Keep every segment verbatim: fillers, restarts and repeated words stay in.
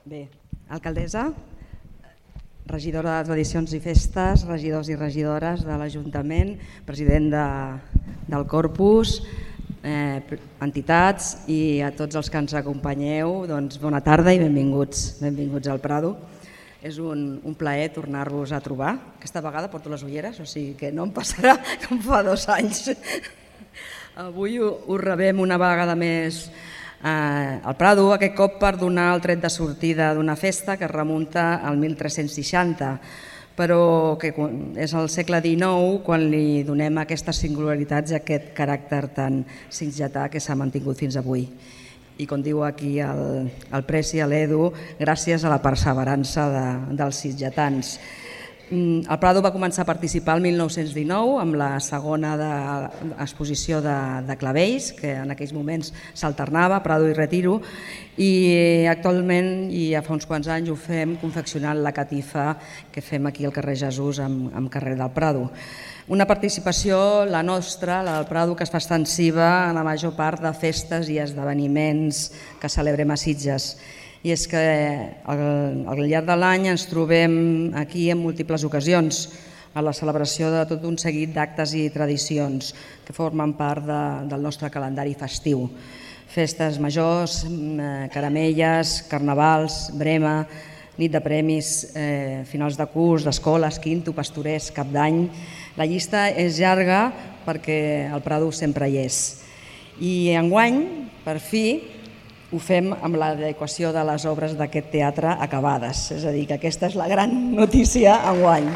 Bé, alcaldessa, regidora de Tradicions i Festes, regidors i regidores de l'Ajuntament, president de, del Corpus, eh, entitats i a tots els que ens acompanyeu, doncs bona tarda i benvinguts, benvinguts al Prado. És un, un plaer tornar-vos a trobar. Aquesta vegada porto les ulleres, o sigui que no em passarà com fa dos anys. Avui us rebem una vegada més al Prado, aquest cop per donar el tret de sortida d'una festa que es remunta al mil tres-cents seixanta, però que és al segle dinou quan li donem aquestes singularitats i aquest caràcter tan sitgetà que s'ha mantingut fins avui. I com diu aquí el, el Preci, l'Edu, gràcies a la perseverança de, dels sitgetans. El Prado va començar a participar el mil nou-cents dinou amb la segona de, exposició de, de clavells, que en aquells moments s'alternava, Prado i Retiro, i actualment, i ja fa uns quants anys, ho fem confeccionant la catifa que fem aquí al carrer Jesús amb, amb carrer del Prado. Una participació, la nostra, la del Prado, que es fa extensiva a la major part de festes i esdeveniments que celebrem a Sitges. I és que al llarg de l'any ens trobem aquí en múltiples ocasions a la celebració de tot un seguit d'actes i tradicions que formen part de, del nostre calendari festiu. Festes majors, caramelles, carnavals, brema, nit de premis, eh, finals de curs, d'escoles, quinto, pastorers, cap d'any. La llista és llarga perquè el Prado sempre hi és. I enguany, per fi, ho fem amb l'adequació de les obres d'aquest teatre acabades. És a dir, que aquesta és la gran notícia enguany.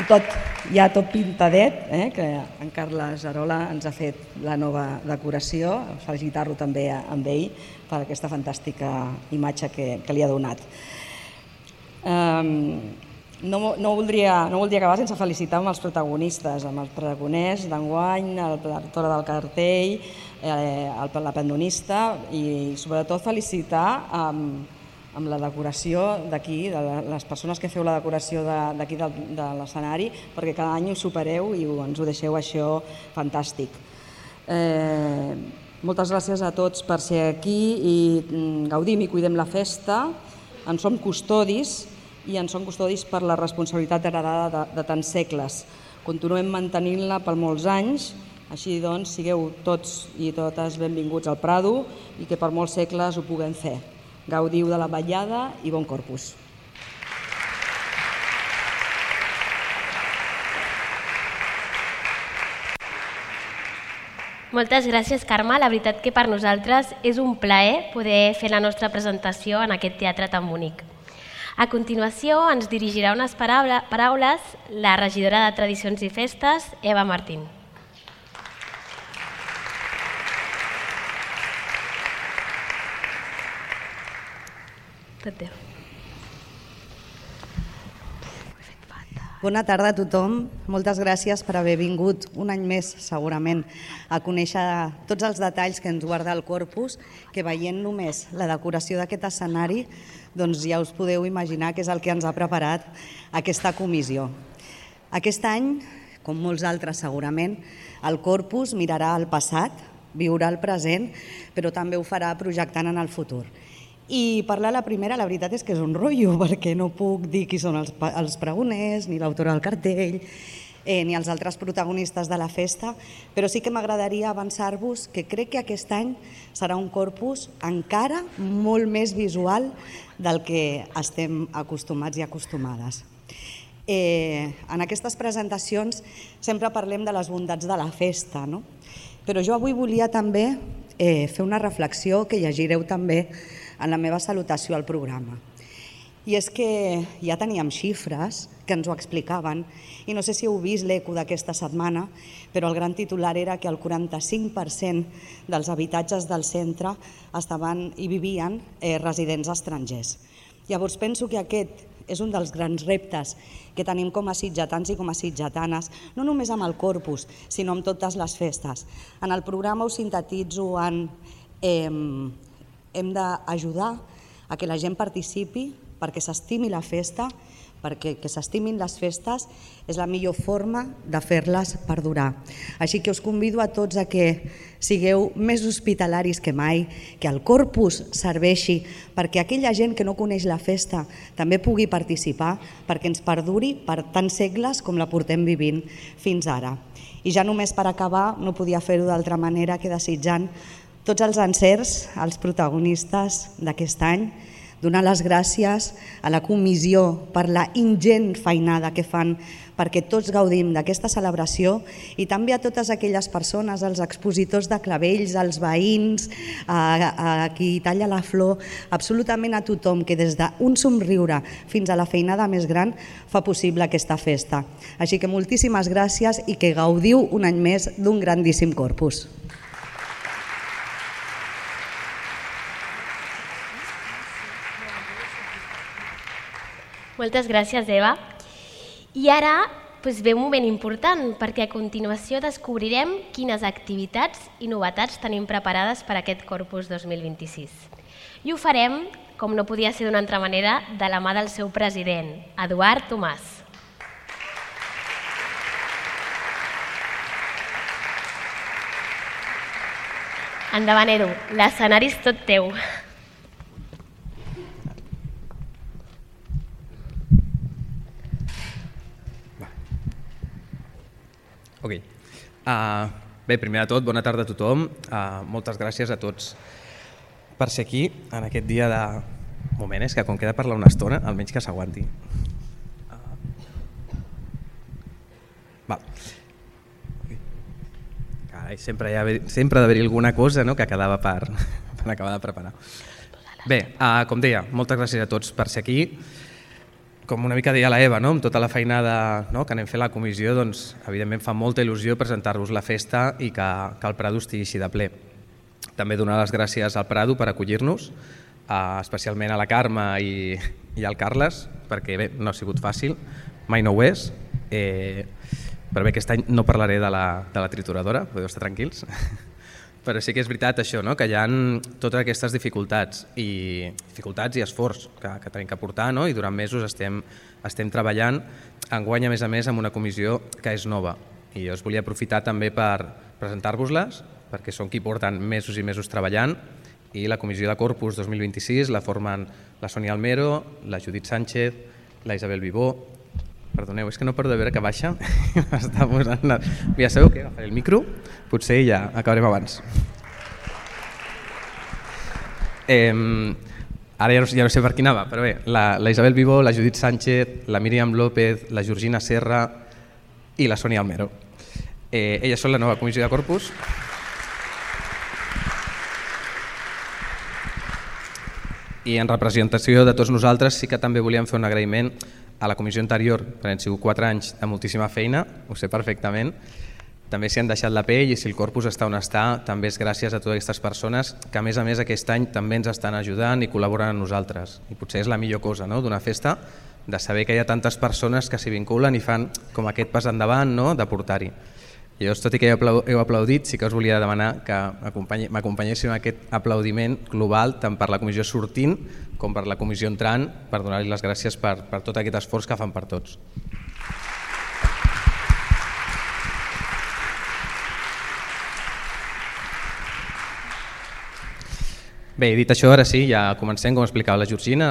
I tot, ja tot pintadet, eh, que en Carles Arola ens ha fet la nova decoració, felicitar-lo també amb ell per aquesta fantàstica imatge que, que li ha donat. Um, No, no, voldria, no voldria acabar sense felicitar amb els protagonistes, amb els pregoners d'enguany, l'autora del cartell, eh, la pendonista i sobretot felicitar amb, amb la decoració d'aquí, de les persones que feu la decoració d'aquí de, de l'escenari, perquè cada any ho supereu i ens ho deixeu això fantàstic. Eh, moltes gràcies a tots per ser aquí i gaudim i cuidem la festa, en som custodis, i en som custodis per la responsabilitat heredada de, de tants segles. Continuem mantenint-la per molts anys, així doncs sigueu tots i totes benvinguts al Prado i que per molts segles ho puguem fer. Gaudiu de la vetllada i bon Corpus. Moltes gràcies, Carme. La veritat que per nosaltres és un plaer poder fer la nostra presentació en aquest teatre tan bonic. A continuació ens dirigirà unes paraules la regidora de Tradicions i Festes, Eva Martín. Tot teu. Bona tarda a tothom. Moltes gràcies per haver vingut un any més, segurament, a conèixer tots els detalls que ens guarda el Corpus, que veient només la decoració d'aquest escenari, doncs ja us podeu imaginar què és el que ens ha preparat aquesta comissió. Aquest any, com molts altres segurament, el Corpus mirarà al passat, viurà el present, però també ho farà projectant en el futur. I parlar la primera, la veritat és que és un rotllo, perquè no puc dir qui són els, els pregoners, ni l'autora del cartell, eh, ni els altres protagonistes de la festa, però sí que m'agradaria avançar-vos que crec que aquest any serà un Corpus encara molt més visual del que estem acostumats i acostumades. Eh, en aquestes presentacions sempre parlem de les bondats de la festa, no? Però jo avui volia també eh, fer una reflexió que llegireu també en la meva salutació al programa. I és que ja teníem xifres que ens ho explicaven i no sé si heu vist l'eco d'aquesta setmana, però el gran titular era que el quaranta-cinc per cent dels habitatges del centre estaven i vivien eh, residents estrangers. Llavors penso que aquest és un dels grans reptes que tenim com a sitgetans i com a sitgetanes, no només amb el Corpus, sinó amb totes les festes. En el programa ho sintetitzo en eh, hem d'ajudar a que la gent participi perquè s'estimi la festa, perquè que s'estimin les festes és la millor forma de fer-les perdurar. Així que us convido a tots a que sigueu més hospitalaris que mai, que el Corpus serveixi perquè aquella gent que no coneix la festa també pugui participar, perquè ens perduri per tants segles com la portem vivint fins ara. I ja només per acabar, no podia fer-ho d'altra manera que desitjant tots els encerts als protagonistes d'aquest any, donar les gràcies a la comissió per la ingent feinada que fan perquè tots gaudim d'aquesta celebració i també a totes aquelles persones, als expositors de clavells, als veïns, a, a qui talla la flor, absolutament a tothom que des d'un somriure fins a la feinada més gran fa possible aquesta festa. Així que moltíssimes gràcies i que gaudiu un any més d'un grandíssim Corpus. Moltes gràcies, Eva. I ara doncs, ve un moment important, perquè a continuació descobrirem quines activitats i novetats tenim preparades per a aquest Corpus dos mil vint-i-sis. I ho farem, com no podia ser d'una altra manera, de la mà del seu president, Eduard Tomàs. Endavant, Edu, l'escenari és tot teu. Ok. Uh, bé, primer de tot, bona tarda a tothom. Uh, moltes gràcies a tots per ser aquí en aquest dia de... Un moment, és que com queda parlar una estona, almenys que s'aguanti. Uh, va. Carai, sempre, hi ha, sempre ha d'haver-hi alguna cosa, no?, que quedava per, per acabar de preparar. Bé, uh, com deia, moltes gràcies a tots per ser aquí. Com una mica deia la Eva, no? Amb tota la feinada, no?, que anem fent la comissió, doncs, evidentment fa molta il·lusió presentar-vos la festa i que, que el Prado estigui així de ple. També donar les gràcies al Prado per acollir-nos, eh, especialment a la Carme i, i al Carles, perquè bé, no ha sigut fàcil, mai no ho és, eh, però bé, aquest any no parlaré de la, de la trituradora, podeu estar tranquils. Però sí que és veritat això, no?, que hi ha totes aquestes dificultats i dificultats i esforç que, que tenim que portar, no?, i durant mesos estem, estem treballant. Enguany, a més a més, amb una comissió que és nova. I jo us volia aprofitar també per presentar-vos-les, perquè són qui porten mesos i mesos treballant, i la comissió de Corpus dos mil vint-i-sis la formen la Sònia Almero, la Judit Sánchez, la Isabel Vivó. Perdoneu, és que no paro de veure que baixa. Està posant la... Ja sabeu què? Agafaré el micro, potser ja acabarem abans. Eh, ara ja no, ja no sé per qui anava, però bé, la, la Isabel Vivó, la Judit Sánchez, la Míriam López, la Georgina Serra i la Sònia Almero. Eh, elles són la nova comissió de Corpus. I en representació de tots nosaltres sí que també volíem fer un agraïment a la comissió anterior, perquè han sigut quatre anys de moltíssima feina, ho sé perfectament. També s'hi han deixat la pell i si el Corpus està on està, també és gràcies a totes aquestes persones que a més a més aquest any també ens estan ajudant i col·laboren amb nosaltres. I potser és la millor cosa, no?, d'una festa, de saber que hi ha tantes persones que s'hi vinculen i fan com aquest pas endavant, no?, de portar-hi. Llavors, tot i que heu aplaudit, sí que us volia demanar que m'acompanyéssiu en aquest aplaudiment global tant per la comissió sortint com per la comissió entrant, per donar-li les gràcies per, per tot aquest esforç que fan per tots. Bé, dit això, ara sí, ja comencem, com explicava la Georgina,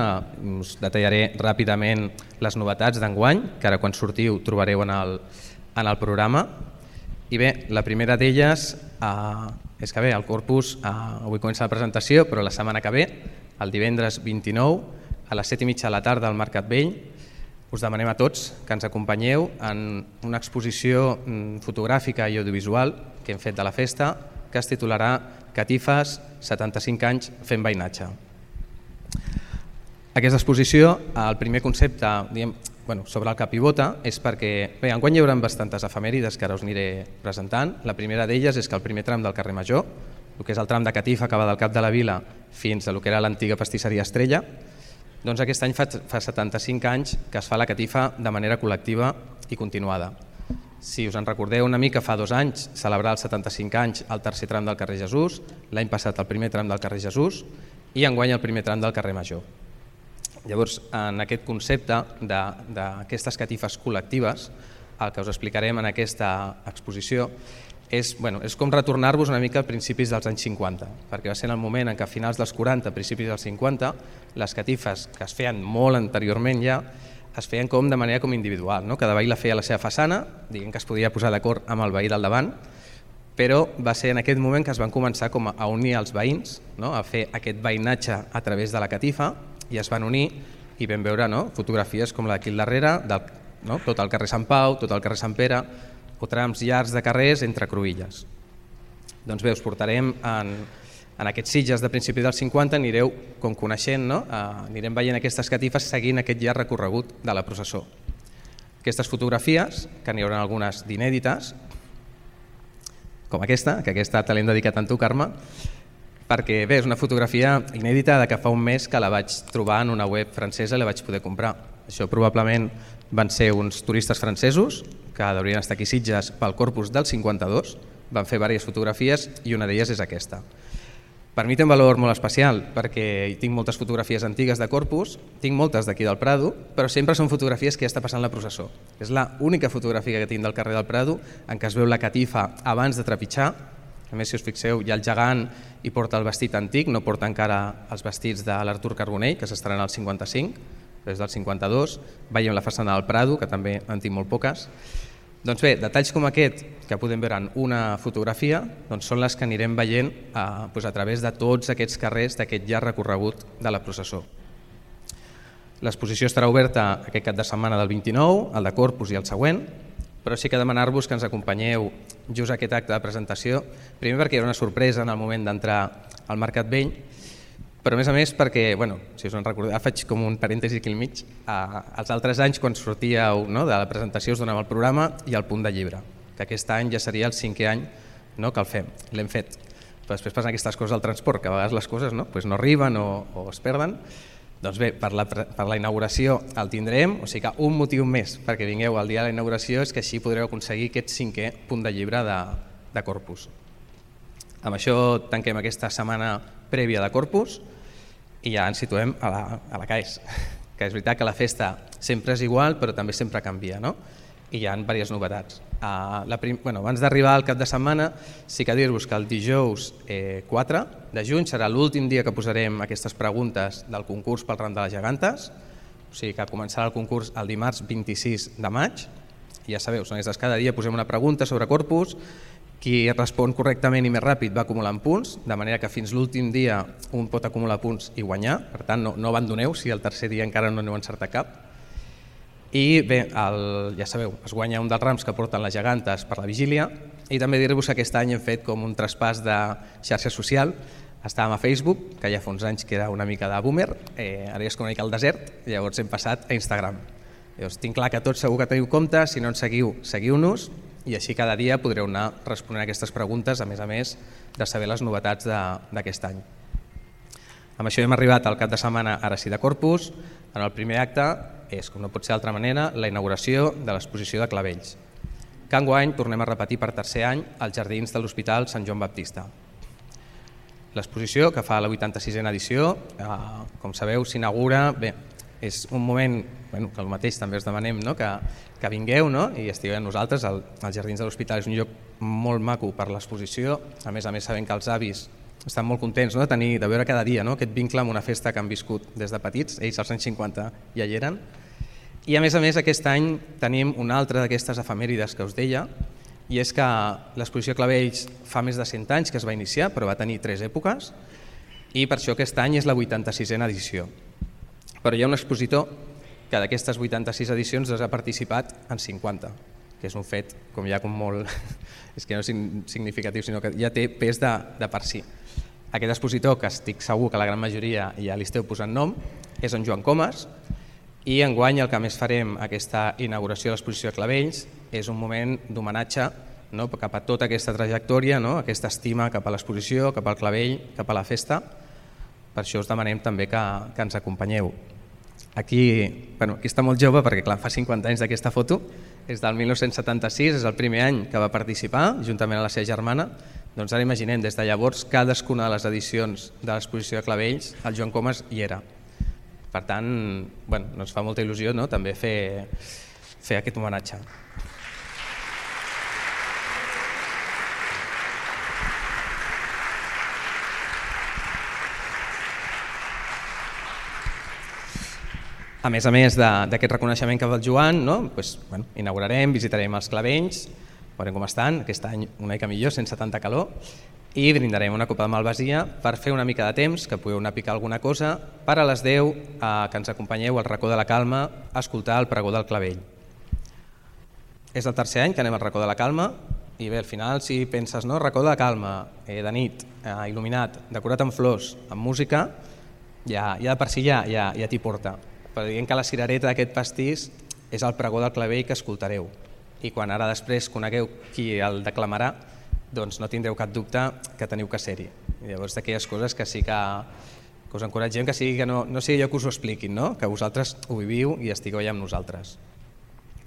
us detallaré ràpidament les novetats d'enguany, que ara quan sortiu trobareu en el, en el programa. I bé, la primera d'elles eh, és que bé, el Corpus, eh, avui comença la presentació, però la setmana que ve, el divendres vint-i-nou, a les set i mitja de la tarda al Mercat Vell, us demanem a tots que ens acompanyeu en una exposició fotogràfica i audiovisual que hem fet de la festa, que es titularà Catifes, setanta-cinc anys fent veïnatge. Aquesta exposició, el primer concepte, diguem, bueno, sobre el que pivota és perquè, bé, enguany hi haurà bastantes efemèrides que ara us aniré presentant. La primera d'elles és que el primer tram del carrer Major, el que és el tram de Catifa que va del Cap de la Vila fins a el que era l'antiga pastisseria Estrella, doncs aquest any fa, fa setanta-cinc anys que es fa la catifa de manera col·lectiva i continuada. Si us en recordeu una mica, fa dos anys celebrar els setanta-cinc anys el tercer tram del carrer Jesús, l'any passat el primer tram del carrer Jesús i enguany el primer tram del carrer Major. Llavors, en aquest concepte d'aquestes catifes col·lectives, el que us explicarem en aquesta exposició és, bueno, és com retornar-vos una mica a principis dels anys cinquanta, perquè va ser en el moment en què a finals dels quaranta, principis dels cinquanta, les catifes que es feien molt anteriorment ja, es feien com de manera com individual, no? Cada veí la feia a la seva façana, diguem que es podia posar d'acord amb el veí del davant, però va ser en aquest moment que es van començar com a unir els veïns, no? A fer aquest veïnatge a través de la catifa, i es van unir i vam veure, no? Fotografies com la d'aquí al darrere, del, no? Tot el carrer Sant Pau, tot el carrer Sant Pere, o trams llargs de carrers entre cruïlles. Doncs bé, us portarem en, en aquests Sitges de principi dels cinquanta, anireu com coneixent, no? Uh, anirem veient aquestes catifes seguint aquest llarg recorregut de la processó. Aquestes fotografies, que n'hi haurà algunes d'inèdites, com aquesta, que aquesta te l'hem dedicat a tu, Carme, perquè bé, és una fotografia inèdita de que fa un mes que la vaig trobar en una web francesa i la vaig poder comprar. Això probablement van ser uns turistes francesos que haurien estar aquí a Sitges pel Corpus del cinquanta-dos, van fer diverses fotografies i una d'elles és aquesta. Per mi té un valor molt especial perquè hi tinc moltes fotografies antigues de Corpus, tinc moltes d'aquí del Prado, però sempre són fotografies que ja està passant la processó. És l'única fotografia que tinc del carrer del Prado en què es veu la catifa abans de trepitjar. A més, si us fixeu, hi ha el gegant i porta el vestit antic, no porta encara els vestits de l'Artur Carbonell, que s'estrena al cinquanta-cinc, des del cinquanta-dos, veiem la façana del Prado, que també en tinc molt poques. Doncs bé, detalls com aquest, que podem veure en una fotografia, doncs són les que anirem veient a, doncs a través de tots aquests carrers d'aquest llarg recorregut de la processó. L'exposició estarà oberta aquest cap de setmana del vint-i-nou, el de Corpus i el següent, però sí que demanar-vos que ens acompanyeu just a aquest acte de presentació, primer perquè era una sorpresa en el moment d'entrar al Mercat Vell, però a més a més perquè, bueno, si us en recordeu, faig com un parèntesi aquí al mig, eh, els altres anys quan sortíeu, no, de la presentació us donava el programa i el punt de llibre, que aquest any ja seria el cinquè any, no, que el fem, l'hem fet. Però després passen aquestes coses al transport, que a vegades les coses no, pues no arriben o, o es perden. Doncs bé, per la, per la inauguració el tindrem, o sigui que un motiu més perquè vingueu al dia de la inauguració és que així podreu aconseguir aquest cinquè punt de llibre de, de Corpus. Amb això tanquem aquesta setmana prèvia de Corpus i ja ens situem a la, a la C A E S, que és veritat que la festa sempre és igual però també sempre canvia, no? I hi ha diverses novetats. Uh, la prim... bueno, abans d'arribar al cap de setmana, sí que dir-vos que el dijous eh, quatre de juny serà l'últim dia que posarem aquestes preguntes del concurs pel ram de les gegantes, o sigui que començarà el concurs el dimarts vint-i-sis de maig, i ja sabeu, són aquestes, cada dia posem una pregunta sobre Corpus, qui respon correctament i més ràpid va acumulant punts, de manera que fins l'últim dia un pot acumular punts i guanyar, per tant no, no abandoneu si el tercer dia encara no n'heu encertat cap. I bé, el, ja sabeu, es guanya un dels rams que porten les gegantes per la vigília i també dir-vos que aquest any hem fet com un traspàs de xarxa social. Estàvem a Facebook, que ja fa uns anys que era una mica de boomer, eh, ara ja és com una mica al desert, llavors hem passat a Instagram. Llavors, tinc clar que tots segur que teniu compte, si no ens seguiu, seguiu-nos i així cada dia podreu anar responent a aquestes preguntes, a més a més de saber les novetats d'aquest any. Amb això hem arribat al cap de setmana, ara sí, de Corpus. En el primer acte és, com no pot ser d'altra manera, la inauguració de l'exposició de clavells. Que enguany tornem a repetir per tercer any als jardins de l'Hospital Sant Joan Baptista. L'exposició, que fa la vuitanta-sisena edició, eh, com sabeu, s'inaugura, bé, és un moment, bueno, que el mateix també us demanem, no? que, que vingueu, no? I estigueu amb nosaltres. El, els jardins de l'Hospital és un lloc molt maco per l'exposició, a més a més sabem que els avis estan molt contents, no? de, tenir, de veure cada dia, no? aquest vincle amb una festa que han viscut des de petits, ells als anys cinquanta ja hi eren. I a més a més aquest any tenim una altra d'aquestes efemèrides que us deia, i és que l'exposició Clavells fa més de cent anys que es va iniciar, però va tenir tres èpoques, i per això aquest any és la vuitanta-sisena edició. Però hi ha un expositor que d'aquestes vuitanta-sis edicions ha participat en cinquanta, que és un fet com ja com molt, és que no és significatiu, sinó que ja té pes de, de per si. Aquest expositor, que estic segur que la gran majoria ja li esteu posant nom, és en Joan Comas, i enguany el que més farem aquesta inauguració de l'exposició de Clavells és un moment d'homenatge, no, cap a tota aquesta trajectòria, no, aquesta estima cap a l'exposició, cap al clavell, cap a la festa. Per això us demanem també que, que ens acompanyeu. Aquí, bueno, aquí està molt jove perquè clar, fa cinquanta anys d'aquesta foto, és del mil nou-cents setanta-sis, és el primer any que va participar, juntament amb la seva germana. Doncs ara imaginem, des de llavors, cadascuna de les edicions de l'exposició de Clavells, el Joan Comas hi era. Per tant, bueno, ens fa molta il·lusió, no?, també fer, fer aquest homenatge. A més a més d'aquest reconeixement que fa el Joan, no? Pues, bueno, inaugurarem, visitarem els clavells, veurem com estan, aquest any una mica millor, sense tanta calor, i brindarem una copa de malvasia per fer una mica de temps, que pugueu anar a picar alguna cosa, per a les deu eh, que ens acompanyeu al racó de la Calma a escoltar el pregó del clavell. És el tercer any que anem al racó de la Calma, i bé, al final si penses, no, racó de la Calma, eh, de nit, eh, il·luminat, decorat amb flors, amb música, ja, ja de per si ja, ja, ja t'hi porta. Però diguem que la cirereta d'aquest pastís és el pregó del clavell que escoltareu. I quan ara després conegueu qui el declamarà, doncs no tindreu cap dubte que teniu que ser-hi. Llavors, d'aquelles coses que sí que, que us encoratgem, que, sigui que no, no sigui jo que us ho expliquin, no? Que vosaltres ho viviu i estigueu allà amb nosaltres.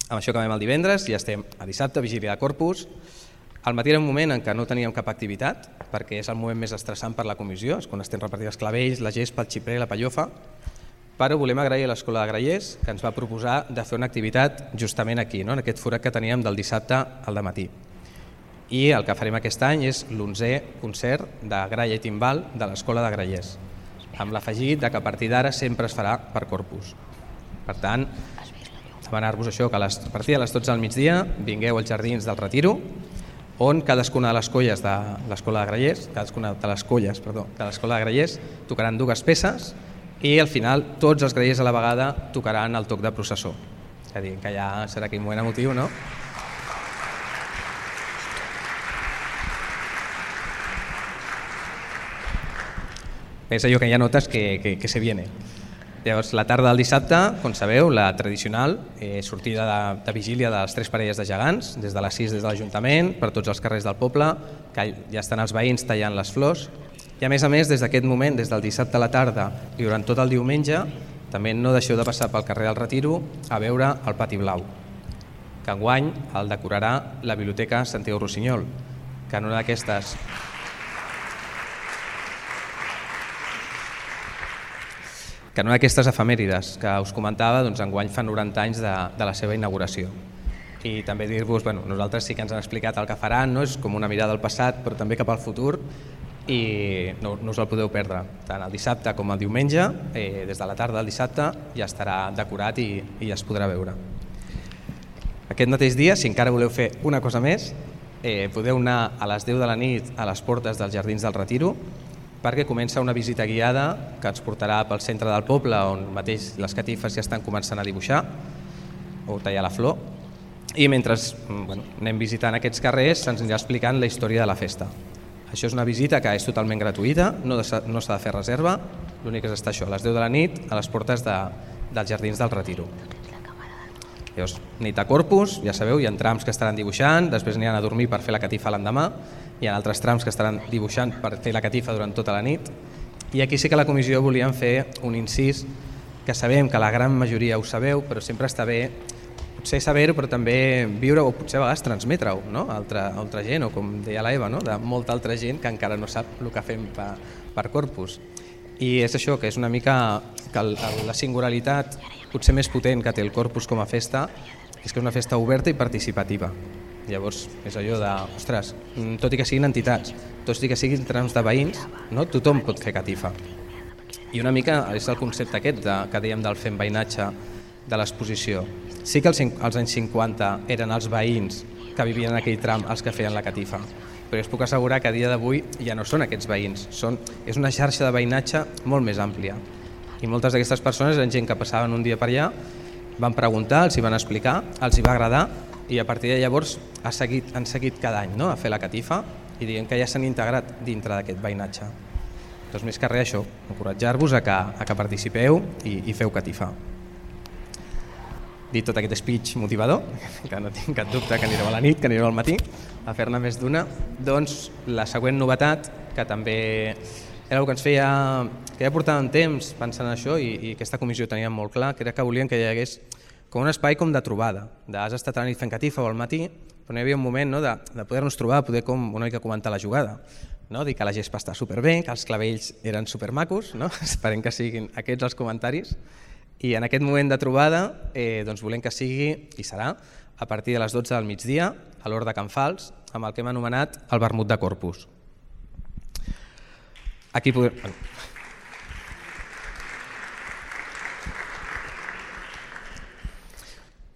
Amb això acabem el divendres, ja estem a dissabte, vigília de Corpus. Al matí era un moment en què no teníem cap activitat, perquè és el moment més estressant per la comissió, és quan estem repartint els clavells, la gespa, el xiprer, la pallofa, però volem agrair a l'Escola de Grallers que ens va proposar de fer una activitat justament aquí, no? En aquest forat que teníem del dissabte al dematí. I el que farem aquest any és l'onzè concert de gralla i timbal de l'Escola de Grallers, amb l'afegit que a partir d'ara sempre es farà per Corpus. Per tant, demanar-vos això, que a, les, a partir de les dotze del migdia vingueu als Jardins del Retiro, on cadascuna de les colles de l'Escola de Grallers, cadascuna de les colles, perdó, de l'Escola de Grallers tocaran dues peces i al final tots els grallers a la vegada tocaran el toc de processó. És a dir, que ja serà aquell moment emotiu, no? És allò que ja notes que, que, que se viene. Llavors, la tarda del dissabte, com sabeu, la tradicional eh, sortida de, de vigília de les tres parelles de gegants, des de les sis des de l'Ajuntament, per tots els carrers del poble, que ja estan els veïns tallant les flors. I a més a més, des d'aquest moment, des del dissabte a la tarda i durant tot el diumenge, també no deixeu de passar pel carrer del Retiro a veure el Pati Blau, que enguany el decorarà la Biblioteca Santiago Rossinyol, que en una d'aquestes que en una d'aquestes efemèrides que us comentava, doncs enguany fa noranta anys de, de la seva inauguració. I també dir-vos, bueno, nosaltres sí que ens han explicat el que faran, no? És com una mirada al passat, però també cap al futur, i no, no us el podeu perdre. Tant el dissabte com el diumenge, eh, des de la tarda del dissabte, ja estarà decorat i, i ja es podrà veure. Aquest mateix dia, si encara voleu fer una cosa més, eh, podeu anar a les deu de la nit a les portes dels Jardins del Retiro, perquè comença una visita guiada que ens portarà pel centre del poble, on mateix les catifes ja estan començant a dibuixar o tallar la flor, i mentre bueno, anem visitant aquests carrers se'ns anirà explicant la història de la festa. Això és una visita que és totalment gratuïta, no s'ha de fer reserva, l'únic és estar això, a les deu de la nit, a les portes de, dels Jardins del Retiro. Llavors, nit de Corpus, ja sabeu, hi ha trams que estaran dibuixant, després aniran a dormir per fer la catifa l'endemà, hi ha altres trams que estaran dibuixant per fer la catifa durant tota la nit, i aquí sí que la comissió volíem fer un incís, que sabem que la gran majoria ho sabeu, però sempre està bé potser saber-ho, però també viure o potser a vegades transmetre-ho, no? a altra, a altra gent, o com deia la Eva, no? De molta altra gent que encara no sap el que fem per, per Corpus. I és això, que és una mica que el, la singularitat potser més potent que té el Corpus com a festa és que és una festa oberta i participativa. Llavors és allò de, ostres, tot i que siguin entitats, tot i que siguin trams de veïns, no? Tothom pot fer catifa. I una mica és el concepte aquest de, que dèiem del fem veïnatge de l'exposició. Sí que als, als anys cinquanta eren els veïns que vivien en aquell tram els que feien la catifa, però us puc assegurar que a dia d'avui ja no són aquests veïns, són, és una xarxa de veïnatge molt més àmplia. I moltes d'aquestes persones eren gent que passaven un dia per allà, van preguntar, els hi van explicar, els hi va agradar i a partir de llavors ha seguit, han seguit cada any, no? A fer la catifa i diguem que ja s'han integrat dintre d'aquest veïnatge. Doncs més que res això, encoratjar-vos a que, a que participeu i, i feu catifa. Dit tot aquest speech motivador, que no tinc cap dubte que anireu a la nit, que anireu al matí a fer-ne més d'una, doncs la següent novetat, que també era el que ens feia, que ja portàvem temps pensant en això i, i aquesta comissió tenia molt clar, que era que volien que hi hagués com un espai com de trobada, d'has estat a la nit fent catifa o al matí, però no hi havia un moment, no, de, de poder-nos trobar, poder com una mica comentar la jugada. no? Dir que la gespa està superbé, que els clavells eren supermacos, no? Esperem que siguin aquests els comentaris. I en aquest moment de trobada eh, doncs volem que sigui, i serà, a partir de les dotze del migdia, a l'Hort de Can Fals, amb el que hem anomenat el vermut de Corpus. Aquí podem...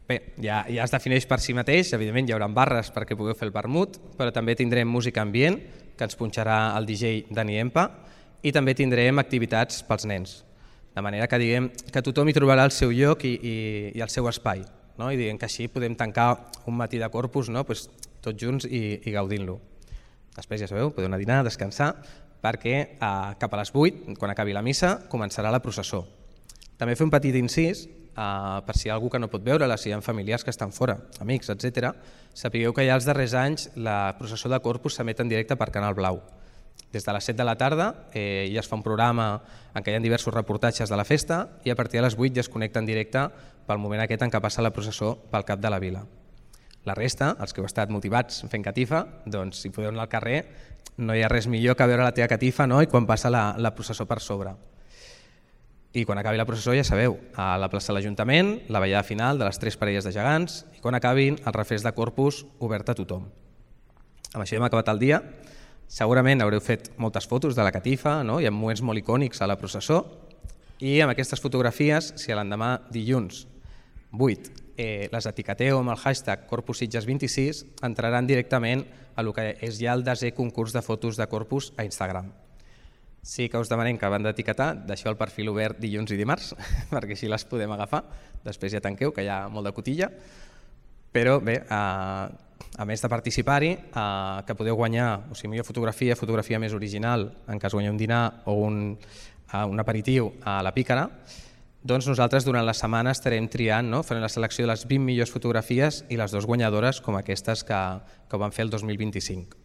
Bé, ja, ja es defineix per si mateix, evidentment hi haurà barres perquè pugueu fer el vermut, però també tindrem música ambient, que ens punxarà el D J Dani Empa, i també tindrem activitats pels nens. De manera que diguem que tothom hi trobarà el seu lloc i, i, i el seu espai, no? I diguem que així podem tancar un matí de Corpus, no? Pues, tots junts i, i gaudint-lo. Després, ja sabeu, podeu anar a dinar, a descansar, perquè eh, cap a les vuit, quan acabi la missa, començarà la processó. També fer un petit incís, eh, per si hi ha algú que no pot veure-la, si hi ha familiars que estan fora, amics, etcètera, sapigueu que ja els darrers anys la processó de Corpus s'emet en directe per Canal Blau. Des de les set de la tarda eh, ja es fa un programa en què hi ha diversos reportatges de la festa i a partir de les vuit ja es connecta en directe pel moment aquest en què passa la processó pel cap de la vila. La resta, els que heu estat motivats fent catifa, doncs si podeu anar al carrer no hi ha res millor que veure la teva catifa, no? I quan passa la, la processó per sobre. I quan acabi la processó ja sabeu, a la plaça de l'Ajuntament, la ballada final de les tres parelles de gegants i quan acabin el refresc de Corpus obert a tothom. Amb això hem acabat el dia. Segurament haureu fet moltes fotos de la catifa, no? Hi ha moments molt icònics a la processó i amb aquestes fotografies, si a l'endemà dilluns vuit eh, les etiqueteu amb el hashtag Corpus Sitges vint-i-sis, entraran directament a el que és ja el desè concurs de fotos de Corpus a Instagram. Sí que us demanem que abans d'etiquetar deixeu el perfil obert dilluns i dimarts, perquè així les podem agafar, després ja tanqueu, que hi ha molt de cotilla, però bé, eh, a més de participar-hi, eh, que podeu guanyar, o sigui, millor fotografia, fotografia més original, en cas guanyeu un dinar o un, uh, un aperitiu a la Pícara, doncs nosaltres durant la setmana estarem triant, no? Farem la selecció de les vint millors fotografies i les dues guanyadores com aquestes que, que van fer el dos mil vint-i-cinc.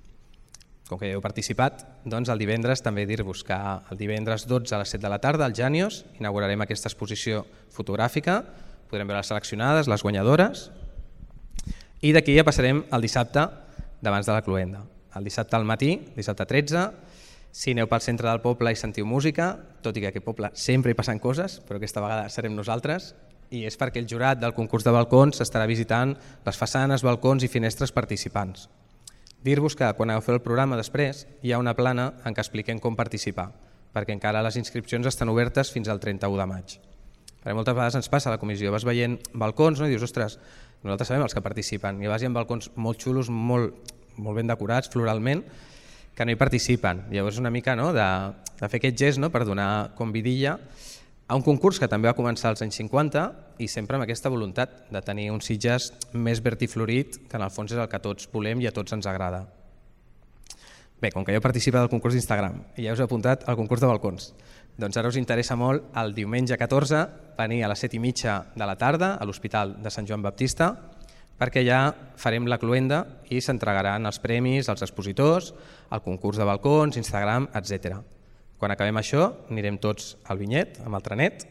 Com que ja heu participat, doncs el divendres també dir-vos que el divendres dotze a les set de la tarda al Jànios inaugurarem aquesta exposició fotogràfica, podrem veure les seleccionades, les guanyadores, i d'aquí ja passarem al dissabte d'abans de la cloenda. El dissabte al matí, dissabte tretze, si aneu pel centre del poble i sentiu música, tot i que a aquest poble sempre hi passen coses, però aquesta vegada serem nosaltres, i és perquè el jurat del concurs de balcons estarà visitant les façanes, balcons i finestres participants. Dir-vos que quan agafeu el programa després hi ha una plana en què expliquem com participar, perquè encara les inscripcions estan obertes fins al trenta-u de maig. Perquè moltes vegades ens passa a la comissió, vas veient balcons, no? I dius, ostres, nosaltres sabem els que participen, i vas hi ha balcons molt xulos, molt, molt ben decorats floralment, que no hi participen. Llavors una mica, no? de, de fer aquest gest, no? Per donar com vidilla a un concurs que també va començar als anys cinquanta i sempre amb aquesta voluntat de tenir un Sitges més verd i florit, que en el fons és el que tots volem i a tots ens agrada. Bé, com que ja heu participat al concurs d'Instagram i ja us he apuntat al concurs de balcons, doncs ara us interessa molt el diumenge catorze venir a les set i mitja de la tarda a l'Hospital de Sant Joan Baptista, perquè ja farem la cloenda i s'entregaran els premis als expositors, al concurs de balcons, Instagram, etcètera. Quan acabem això anirem tots al vinyet amb el trenet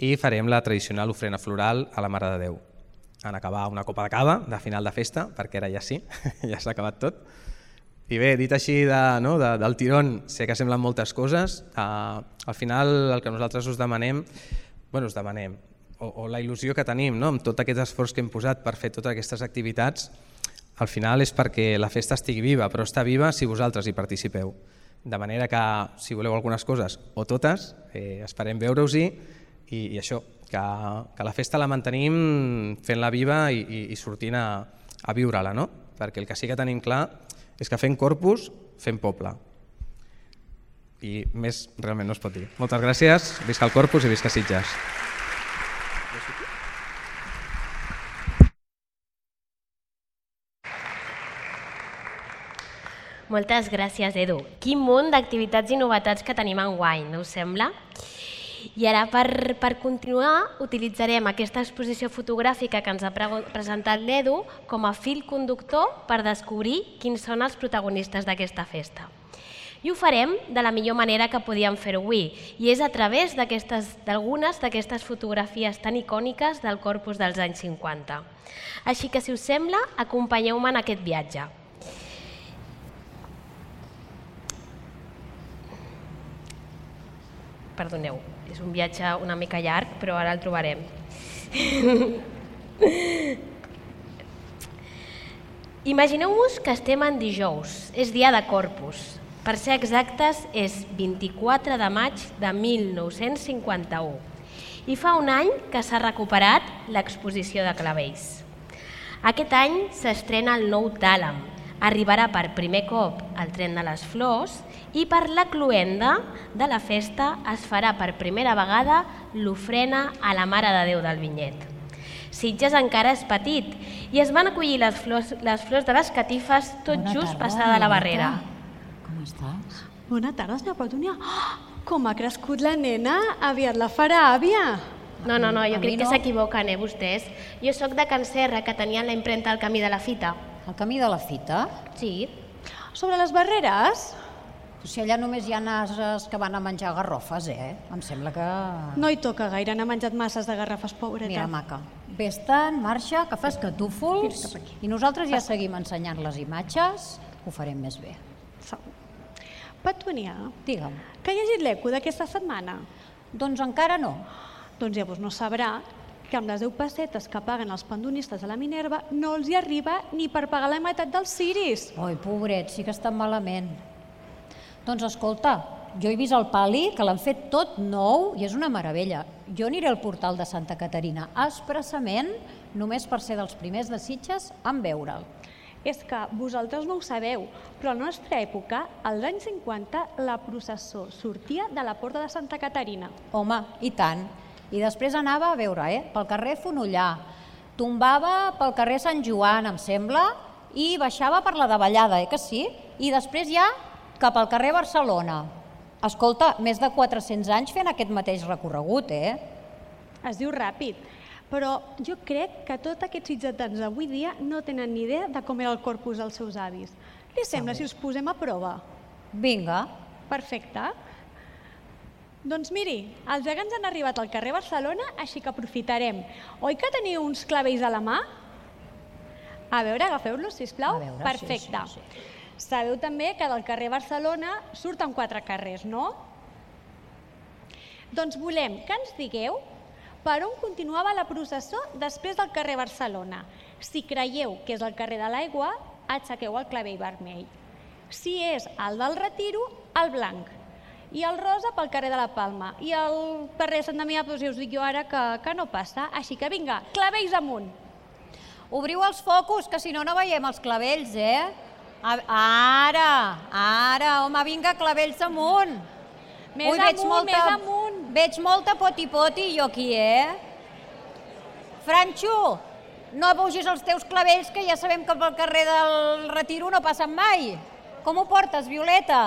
i farem la tradicional ofrena floral a la Mare de Déu. En acabar una copa de cava de final de festa, perquè ara ja sí, ja s'ha acabat tot. I bé, dit així de, no, de, del tirón, sé que semblen moltes coses, eh, al final el que nosaltres us demanem, bueno, us demanem, o, o la il·lusió que tenim, no, amb tot aquest esforç que hem posat per fer totes aquestes activitats, al final és perquè la festa estigui viva, però està viva si vosaltres hi participeu. De manera que, si voleu algunes coses o totes, eh, esperem veure-us-hi i, i això, que, que la festa la mantenim fent-la viva i, i, i sortint a, a viure-la, no? Perquè el que sí que tenim clar és que fent Corpus, fem poble. I més realment no es pot dir. Moltes gràcies, visca el Corpus i visca Sitges. Moltes gràcies, Edu. Quin munt d'activitats i novetats que tenim enguany, no us sembla? I ara, per, per continuar, utilitzarem aquesta exposició fotogràfica que ens ha pre presentat l'Edu com a fil conductor per descobrir quins són els protagonistes d'aquesta festa. I ho farem de la millor manera que podíem fer-ho avui, i és a través d'algunes d'aquestes fotografies tan icòniques del Corpus dels anys cinquanta. Així que, si us sembla, acompanyeu-me en aquest viatge. perdoneu, és un viatge una mica llarg, però ara el trobarem. Imagineu-vos que estem en dijous, és dia de Corpus. Per ser exactes, és vint-i-quatre de maig de mil nou-cents cinquanta-u i fa un any que s'ha recuperat l'exposició de clavells. Aquest any s'estrena el nou Tàlam, arribarà per primer cop el tren de les flors i per la cloenda de la festa es farà per primera vegada l'ofrena a la Mare de Déu del Vinyet. Sitges encara és petit i es van acollir les flors, les flors de les catifes tot Bona just tarda, passada la barrera. Com estàs? Bona tarda, senyora Petúnia. Oh, com ha crescut la nena, aviat la farà àvia. No, no, no, jo A crec mi que no. s'equivoquen, eh, vostès. Jo sóc de Can Serra, que tenien la impremta al camí de la fita. El camí de la fita? Sí. Sobre les barreres, O sigui, allà només hi ha ases que van a menjar garrofes, eh? Em sembla que... no hi toca gaire, n'ha menjat masses de garrafes, pobreta. Mira, maca, vés-te'n, marxa, que fas catúfols i nosaltres ja seguim ensenyant les imatges, ho farem més bé. Segur. Petúnia, Digue'm. que ha llegit l'eco d'aquesta setmana? Doncs encara no. Doncs llavors no sabrà que amb les deu pessetes que paguen els pandonistes a la Minerva no els hi arriba ni per pagar la meitat dels ciris. Oi, pobret, sí que estan malament. Doncs escolta, jo he vist el pali, que l'han fet tot nou i és una meravella. Jo aniré al portal de Santa Caterina expressament només per ser dels primers de Sitges en veure'l. És que vosaltres no ho sabeu, però a la nostra època, als anys cinquanta, la processó sortia de la porta de Santa Caterina. Home, i tant. I després anava a veure, eh? Pel carrer Fonollà, tombava pel carrer Sant Joan, em sembla, i baixava per la davallada, eh que sí? I després ja cap al carrer Barcelona. Escolta, més de quatre-cents anys fent aquest mateix recorregut, eh? Es diu ràpid, però jo crec que tots aquests sitgetans d'avui dia no tenen ni idea de com era el corpus dels seus avis. Li sembla si us posem a prova? Vinga. Perfecte. Doncs miri, els gegants han arribat al carrer Barcelona, així que aprofitarem. Oi que teniu uns clavells a la mà? A veure, agafeu-los, sisplau. A veure, sí, Perfecte. sí, sí. Sabeu també que del carrer Barcelona surten quatre carrers, no? Doncs volem que ens digueu per on continuava la processó després del carrer Barcelona. Si creieu que és el carrer de l'Aigua, aixequeu el clavell vermell. Si és el del Retiro, el blanc. I el rosa pel carrer de la Palma. I el carrer Sant Damià, doncs ja us dic jo ara que, que no passa. Així que vinga, clavells amunt. Obriu els focus, que si no, no veiem els clavells, eh? Ara, ara, home, vinga, clavells amunt. Més Ui, veig amunt, molta, més amunt. Veig molta poti-poti jo aquí, eh? Franxo, no pugis els teus clavells, que ja sabem que pel carrer del Retiro no passen mai. Com ho portes, Violeta?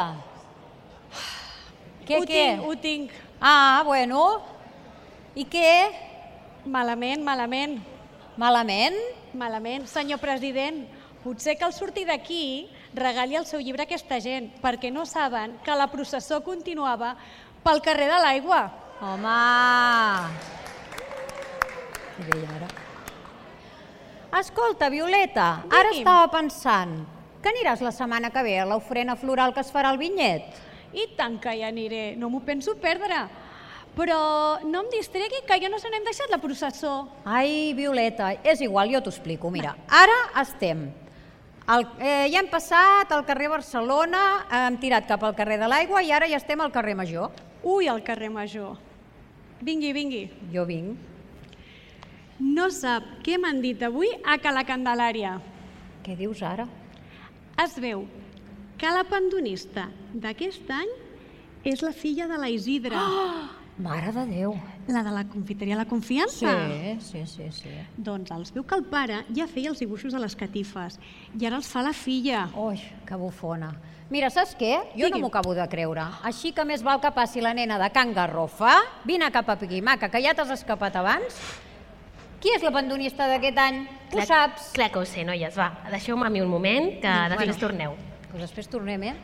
Què, ho què? tinc, ho tinc. Ah, bueno. I què? Malament, malament, Malament? malament. Senyor president, potser cal sortir d'aquí, regali el seu llibre a aquesta gent, perquè no saben que la processó continuava pel carrer de l'Aigua. Home! Què deia ara? Escolta, Violeta, ara Digui'm. estava pensant que aniràs la setmana que ve a l'ofrena floral que es farà al Vinyet. I tant que hi aniré, no m'ho penso perdre. Però no em distregui, que ja no se n'hem deixat la processó. Ai, Violeta, és igual, jo t'ho explico. Mira, ara estem. El, eh, ja hem passat al carrer Barcelona, hem tirat cap al carrer de l'Aigua i ara ja estem al carrer Major. Ui, al carrer Major. Vingui, vingui. Jo vinc. No sap què m'han dit avui a Cala Candelària. Què dius ara? Es veu que la pandonista d'aquest any és la filla de la Isidra. Oh! Mare de Déu. La de la confiteria La Confiança. Sí, sí, sí, sí. Doncs els veu que el pare ja feia els dibuixos de les catifes i ara els fa la filla. Ui, que bufona. Mira, saps què? Jo no Digui'm. m'ho acabo de creure. Així que més val que passi la nena de Can Garrofa. Vine cap a Piquimaca, que ja t'has escapat abans. Qui és la pandonista d'aquest any? Ho Clar- saps? Clar que ho sé, noies, va, deixeu-me a mi un moment, que després Bueno. torneu. Doncs després tornem, eh?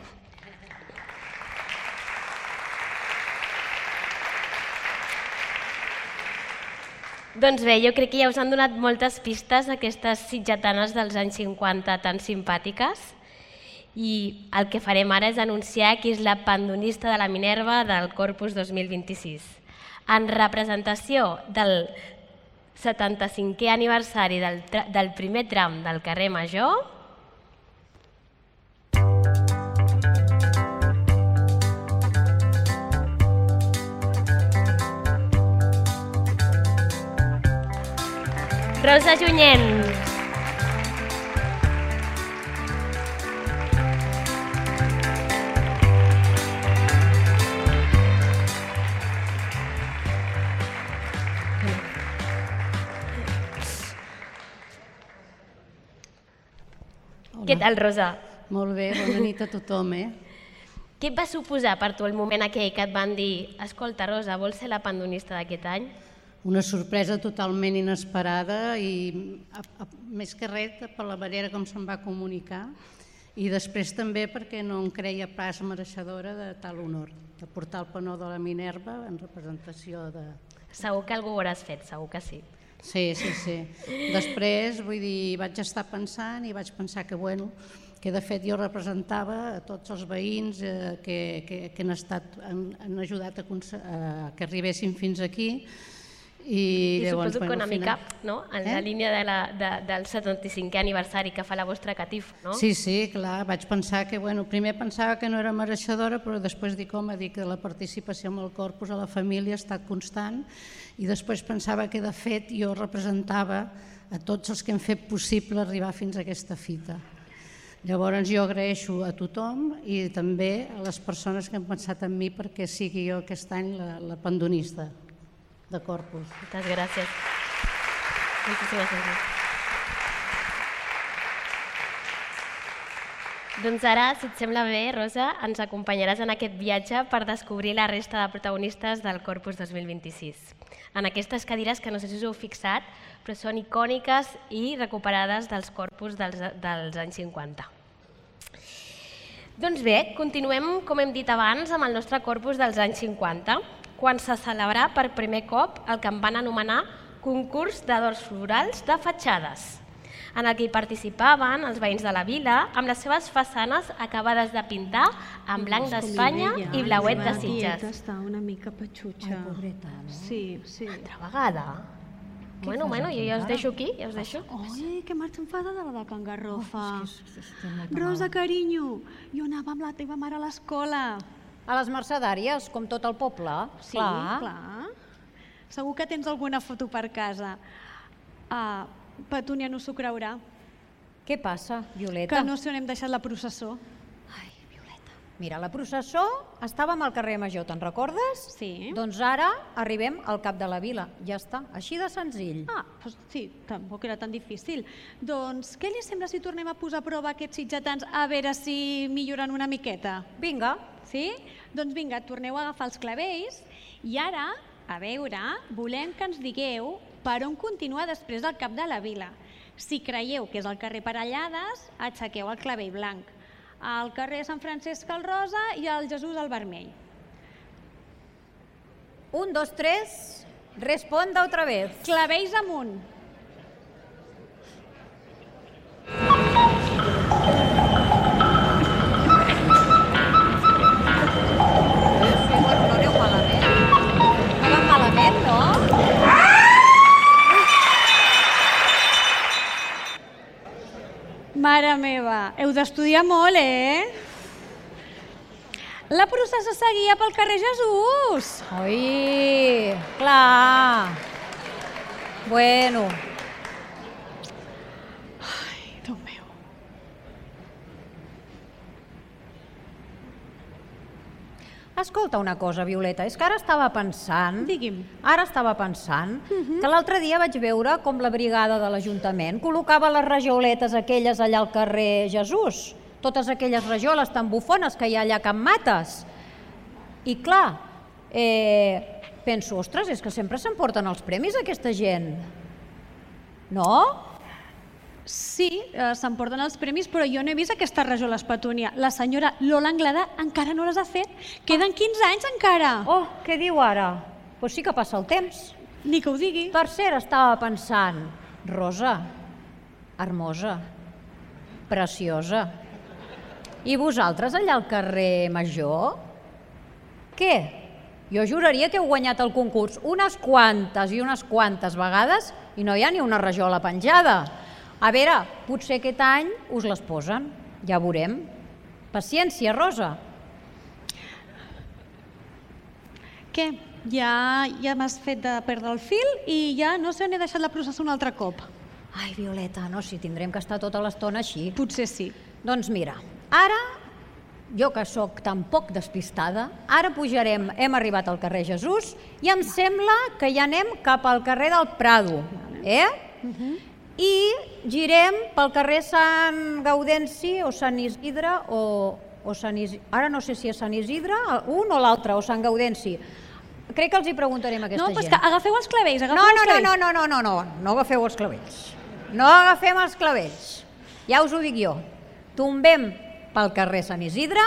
Doncs bé, jo crec que ja us han donat moltes pistes aquestes sitgetanes dels anys cinquanta tan simpàtiques i el que farem ara és anunciar qui és la pandonista de la Minerva del Corpus dos mil vint-i-sis. En representació del setanta-cinquè aniversari del, del primer tram del carrer Major, Rosa Junyent. Què tal, Rosa? Molt bé, bona nit a tothom, eh? Què et va suposar per tu el moment aquell que et van dir escolta, Rosa, vols ser la pandonista d'aquest any? Una sorpresa totalment inesperada i, a, a, més que res, per la manera com se'm va comunicar i després també perquè no em creia pas mereixedora de tal honor, de portar el penó de la Minerva en representació de... Segur que algú ho hauràs fet, segur que sí. Sí, sí, sí. Després, vull dir, vaig estar pensant i vaig pensar que, bueno, que de fet jo representava a tots els veïns eh, que, que, que han, estat, han, han ajudat a, a que arribessin fins aquí. I, I llavors, suposo que bueno, una final... mica no? en eh? la línia de la, de, del setanta-cinquè aniversari que fa la vostra catifa, no? Sí, sí, clar, vaig pensar que, bueno, primer pensava que no era mereixedora, però després dic, home, dic que la participació amb el corpus a la família ha estat constant i després pensava que, de fet, jo representava a tots els que hem fet possible arribar fins a aquesta fita. Llavors jo agraeixo a tothom i també a les persones que han pensat en mi perquè sigui jo aquest any la, la pandonista de Corpus. Moltes gràcies. Moltíssimes gràcies. Doncs ara, si et sembla bé, Rosa, ens acompanyaràs en aquest viatge per descobrir la resta de protagonistes del Corpus dos mil vint-i-sis. En aquestes cadires que no sé si us heu fixat, però són icòniques i recuperades dels corpus dels, dels anys cinquanta. Doncs bé, continuem, com hem dit abans, amb el nostre corpus dels anys cinquanta, quan se celebrà per primer cop el que en van anomenar concurs d'adorns florals de fatxades, en el que hi participaven els veïns de la vila amb les seves façanes acabades de pintar en blanc d'Espanya i blauet de Sitges. Està una mica patxutxa. Ai, pobreta, no? Sí, sí. Altra vegada? Bueno, bueno, jo ja us deixo aquí, ja us deixo. Ai, que marxa enfadada la de Can Garrofa. Oh, és que estem molt Rosa, mal. carinyo, jo anava amb la teva mare a l'escola. A les Mercedàries, com tot el poble. Sí, clar. clar. Segur que tens alguna foto per casa. Uh, Petúnia no s'ho creurà. Què passa, Violeta? Que no sé on hem deixat la processó. Ai, Violeta. Mira, la processó estàvem al carrer Major, te'n recordes? Sí. Doncs ara arribem al cap de la vila. Ja està, així de senzill. Ah, doncs sí, tampoc era tan difícil. Doncs què li sembla si tornem a posar a prova aquests sitgetans a veure si milloren una miqueta? Vinga. Sí? Doncs vinga, torneu a agafar els clavells i ara, a veure, volem que ens digueu per on continuar després del cap de la vila. Si creieu que és el carrer Parellades, aixequeu el clavell blanc. Al carrer Sant Francesc el rosa i el Jesús el vermell. Un, dos, tres, responda otra vez. Clavells amunt. Mare meva, heu d'estudiar molt, eh? La processó seguia pel carrer Jesús. Oi, clar. Bueno. Ai, Déu meu. Escolta una cosa, Violeta, és que ara estava pensant... Digui'm. Ara estava pensant que l'altre dia vaig veure com la brigada de l'Ajuntament col·locava les rajauletes aquelles allà al carrer Jesús, totes aquelles rajoles tan bufones que hi ha allà a Can Mates. I clar, eh, penso, ostres, és que sempre s'emporten els premis aquesta gent. No? Sí, eh, s'emporten els premis, però jo no he vist aquestes rajoles, Petúnia. La senyora Lola Anglada encara no les ha fet. Queden quinze anys encara. Oh, què diu ara? Doncs sí que passa el temps. Ni que ho digui. Per cert, estava pensant, Rosa, hermosa, preciosa, I vosaltres allà al carrer Major? Què? Jo juraria que heu guanyat el concurs unes quantes i unes quantes vegades i no hi ha ni una rajola penjada. A veure, potser aquest any us les posen, ja veurem. Paciència, Rosa. Què? Ja, ja m'has fet de perdre el fil i ja no sé on he deixat la processó un altre cop. Ai, Violeta, no, si tindrem que estar tota l'estona així. Potser sí. Doncs mira, ara, jo que sóc tan poc despistada, ara pujarem, hem arribat al carrer Jesús i em sembla que ja anem cap al carrer del Prado, eh? Uh-huh. I girem pel carrer Sant Gaudenci o Sant Isidre o, o Sant Isidre, ara no sé si és Sant Isidre, un o l'altre, o Sant Gaudenci. Crec que els hi preguntarem a aquesta no, gent. No, però és que agafeu els clavells, agafeu no, els no, clavells. No, no, no, no, no, no, no agafeu els clavells. No agafem els clavells. Ja us ho dic jo. Tombem pel carrer Sant Isidre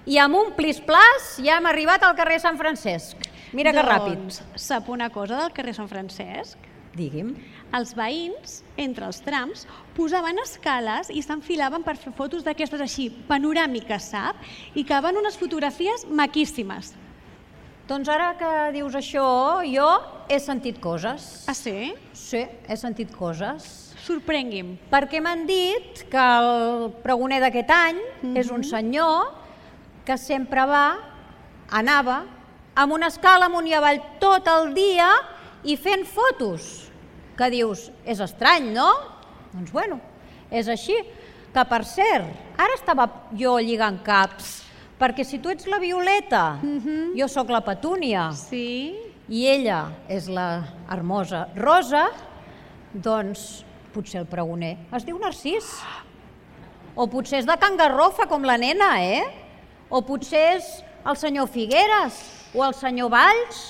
i amb un plis-plas ja hem arribat al carrer Sant Francesc. Mira que ràpid. Doncs sap una cosa del carrer Sant Francesc? Digui'm. Els veïns, entre els trams, posaven escales i s'enfilaven per fer fotos d'aquestes així, panoràmiques, sap? I que van unes fotografies maquíssimes. Doncs ara que dius això, jo he sentit coses. Ah, sí? Sí, he sentit coses. Sorprengui'm. Perquè m'han dit que el pregoner d'aquest any mm-hmm. és un senyor que sempre va, anava, amb una escala amunt i avall tot el dia i fent fotos. Que dius, és estrany, no? Doncs bueno, és així. Que per cert, ara estava jo lligant caps, perquè si tu ets la Violeta, mm-hmm. jo sóc la Petúnia, sí. I ella és la hermosa Rosa, doncs potser el pregoner es diu Narcís. O potser és de Can Garrofa, com la nena, eh? O potser és el senyor Figueres, o el senyor Valls,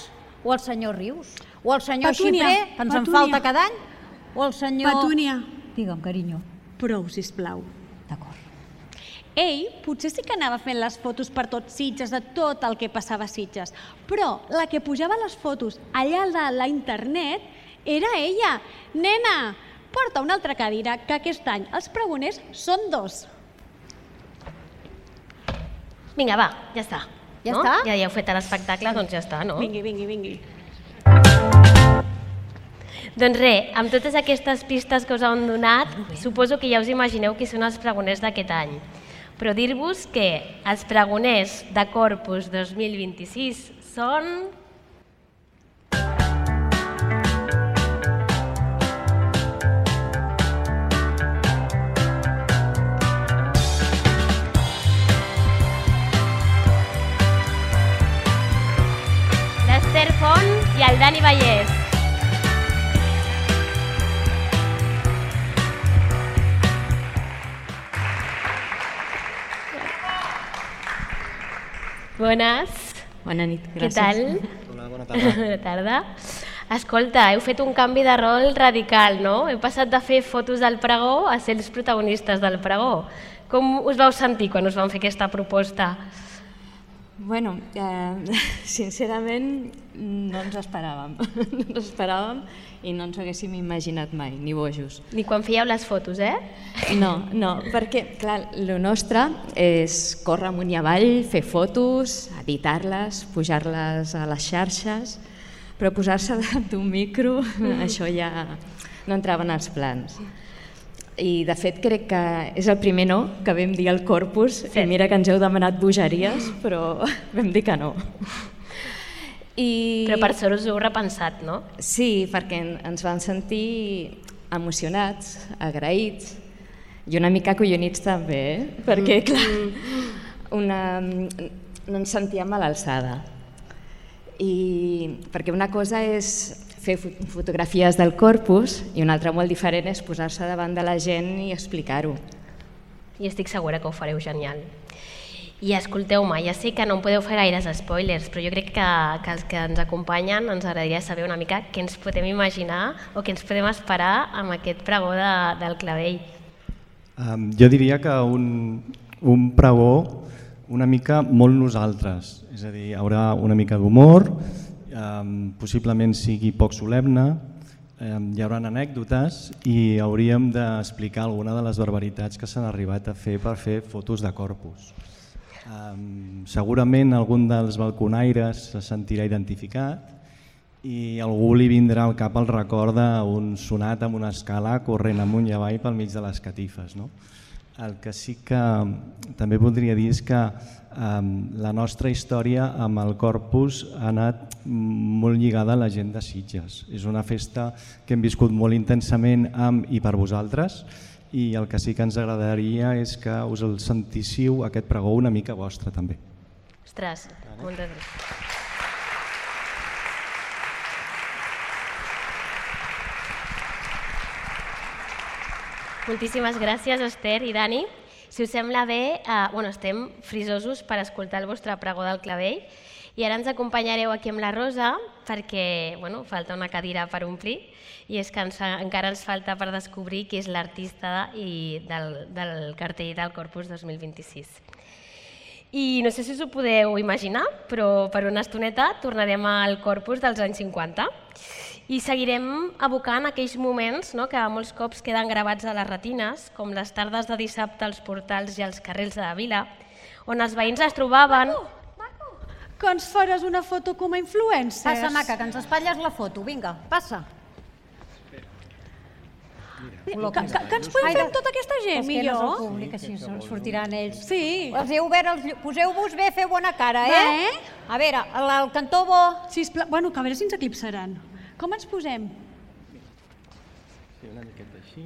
o el senyor Rius, o el senyor Petúnia, Xiprer, que ens Petúnia. en falta cada any, o el senyor... Petúnia. Digue'm, carinyo. Prou, sisplau. D'acord. Ell potser sí que anava fent les fotos per tot Sitges, de tot el que passava a Sitges, però la que pujava les fotos allà de la internet era ella. Nena, porta una altra cadira, que aquest any els pregoners són dos. Vinga, va, ja està. Ja no? està? Ja hi heu fet l'espectacle, doncs ja està, no? Vingui, vingui, vingui. Doncs res, amb totes aquestes pistes que us han donat, suposo que ja us imagineu qui són els pregoners d'aquest any. Però dir-vos que els pregoners de Corpus dos mil vint-i-sis són... l'Ester Font i el Dani Vallès. Bones. Bona nit, gràcies. Què tal? Hola, bona tarda. Bona tarda. Escolta, heu fet un canvi de rol radical, no? Heu passat de fer fotos del pregó a ser els protagonistes del pregó. Com us vau sentir quan us van fer aquesta proposta? Bueno, eh, sincerament no ens esperàvem. No ens esperàvem i no ens ho haguéssim imaginat mai, ni bojos. Ni quan fèieu les fotos, eh? No, no, perquè, clar, el nostre és córrer amunt i avall, fer fotos, editar-les, pujar-les a les xarxes, però posar-se davant d'un micro, això ja no entrava en els plans. I de fet crec que és el primer no que vam dir al Corpus, sí. I mira que ens heu demanat bogeries, però vam dir que no. I... Però per sort us ho heu repensat, no? Sí, perquè ens vam sentir emocionats, agraïts i una mica acollonits també, eh? Perquè clar, una... no ens sentíem a l'alçada. I perquè una cosa és fer fotografies del Corpus i una altra molt diferent és posar-se davant de la gent i explicar-ho. I estic segura que ho fareu genial. I escolteu-me, ja sé que no em podeu fer gaires spoilers, però jo crec que, que els que ens acompanyen ens agradaria saber una mica què ens podem imaginar o què ens podem esperar amb aquest pregó de, del Clavell. Um, jo diria que un, un pregó una mica molt nosaltres, és a dir, hi haurà una mica d'humor, um, possiblement sigui poc solemne hi haurà anècdotes i hauríem d'explicar alguna de les barbaritats que s'han arribat a fer per fer fotos de corpus. Segurament algun dels balconaires se sentirà identificat i algú li vindrà al cap el record d'un sonat amb una escala corrent amunt i avall pel mig de les catifes. El que sí que també voldria dir és que la nostra història amb el Corpus ha anat molt lligada a la gent de Sitges. És una festa que hem viscut molt intensament amb i per vosaltres i el que sí que ens agradaria és que us el sentíssiu aquest pregó una mica vostre també. Ostres, moltes gràcies. Moltíssimes gràcies, Esther i Dani. Si us sembla bé, eh, bueno, estem frisosos per escoltar el vostre pregó del clavell i ara ens acompanyareu aquí amb la Rosa perquè bueno, falta una cadira per omplir i és que ens, encara ens falta per descobrir qui és l'artista del, del cartell del Corpus dos mil vint-i-sis. I no sé si us ho podeu imaginar, però per una estoneta tornarem al Corpus dels anys cinquanta i seguirem evocant aquells moments no, que molts cops queden gravats a les retines, com les tardes de dissabte als portals i als carrers de la vila, on els veïns es trobaven... Marco, Marco, que ens faràs una foto com a influencers. Passa, maca, que ens espatlles la foto. Vinga, passa. Que, que, que ens podem fer amb tota aquesta gent, millor? És que no és el públic, així sortiran ells. Sí. Els heu obert els llums. Poseu-vos bé, feu bona cara, eh? A veure, el cantó bo... Sisplau, bueno, que a veure si ens eclipsaran. Com ens posem? Sí, una miqueta així,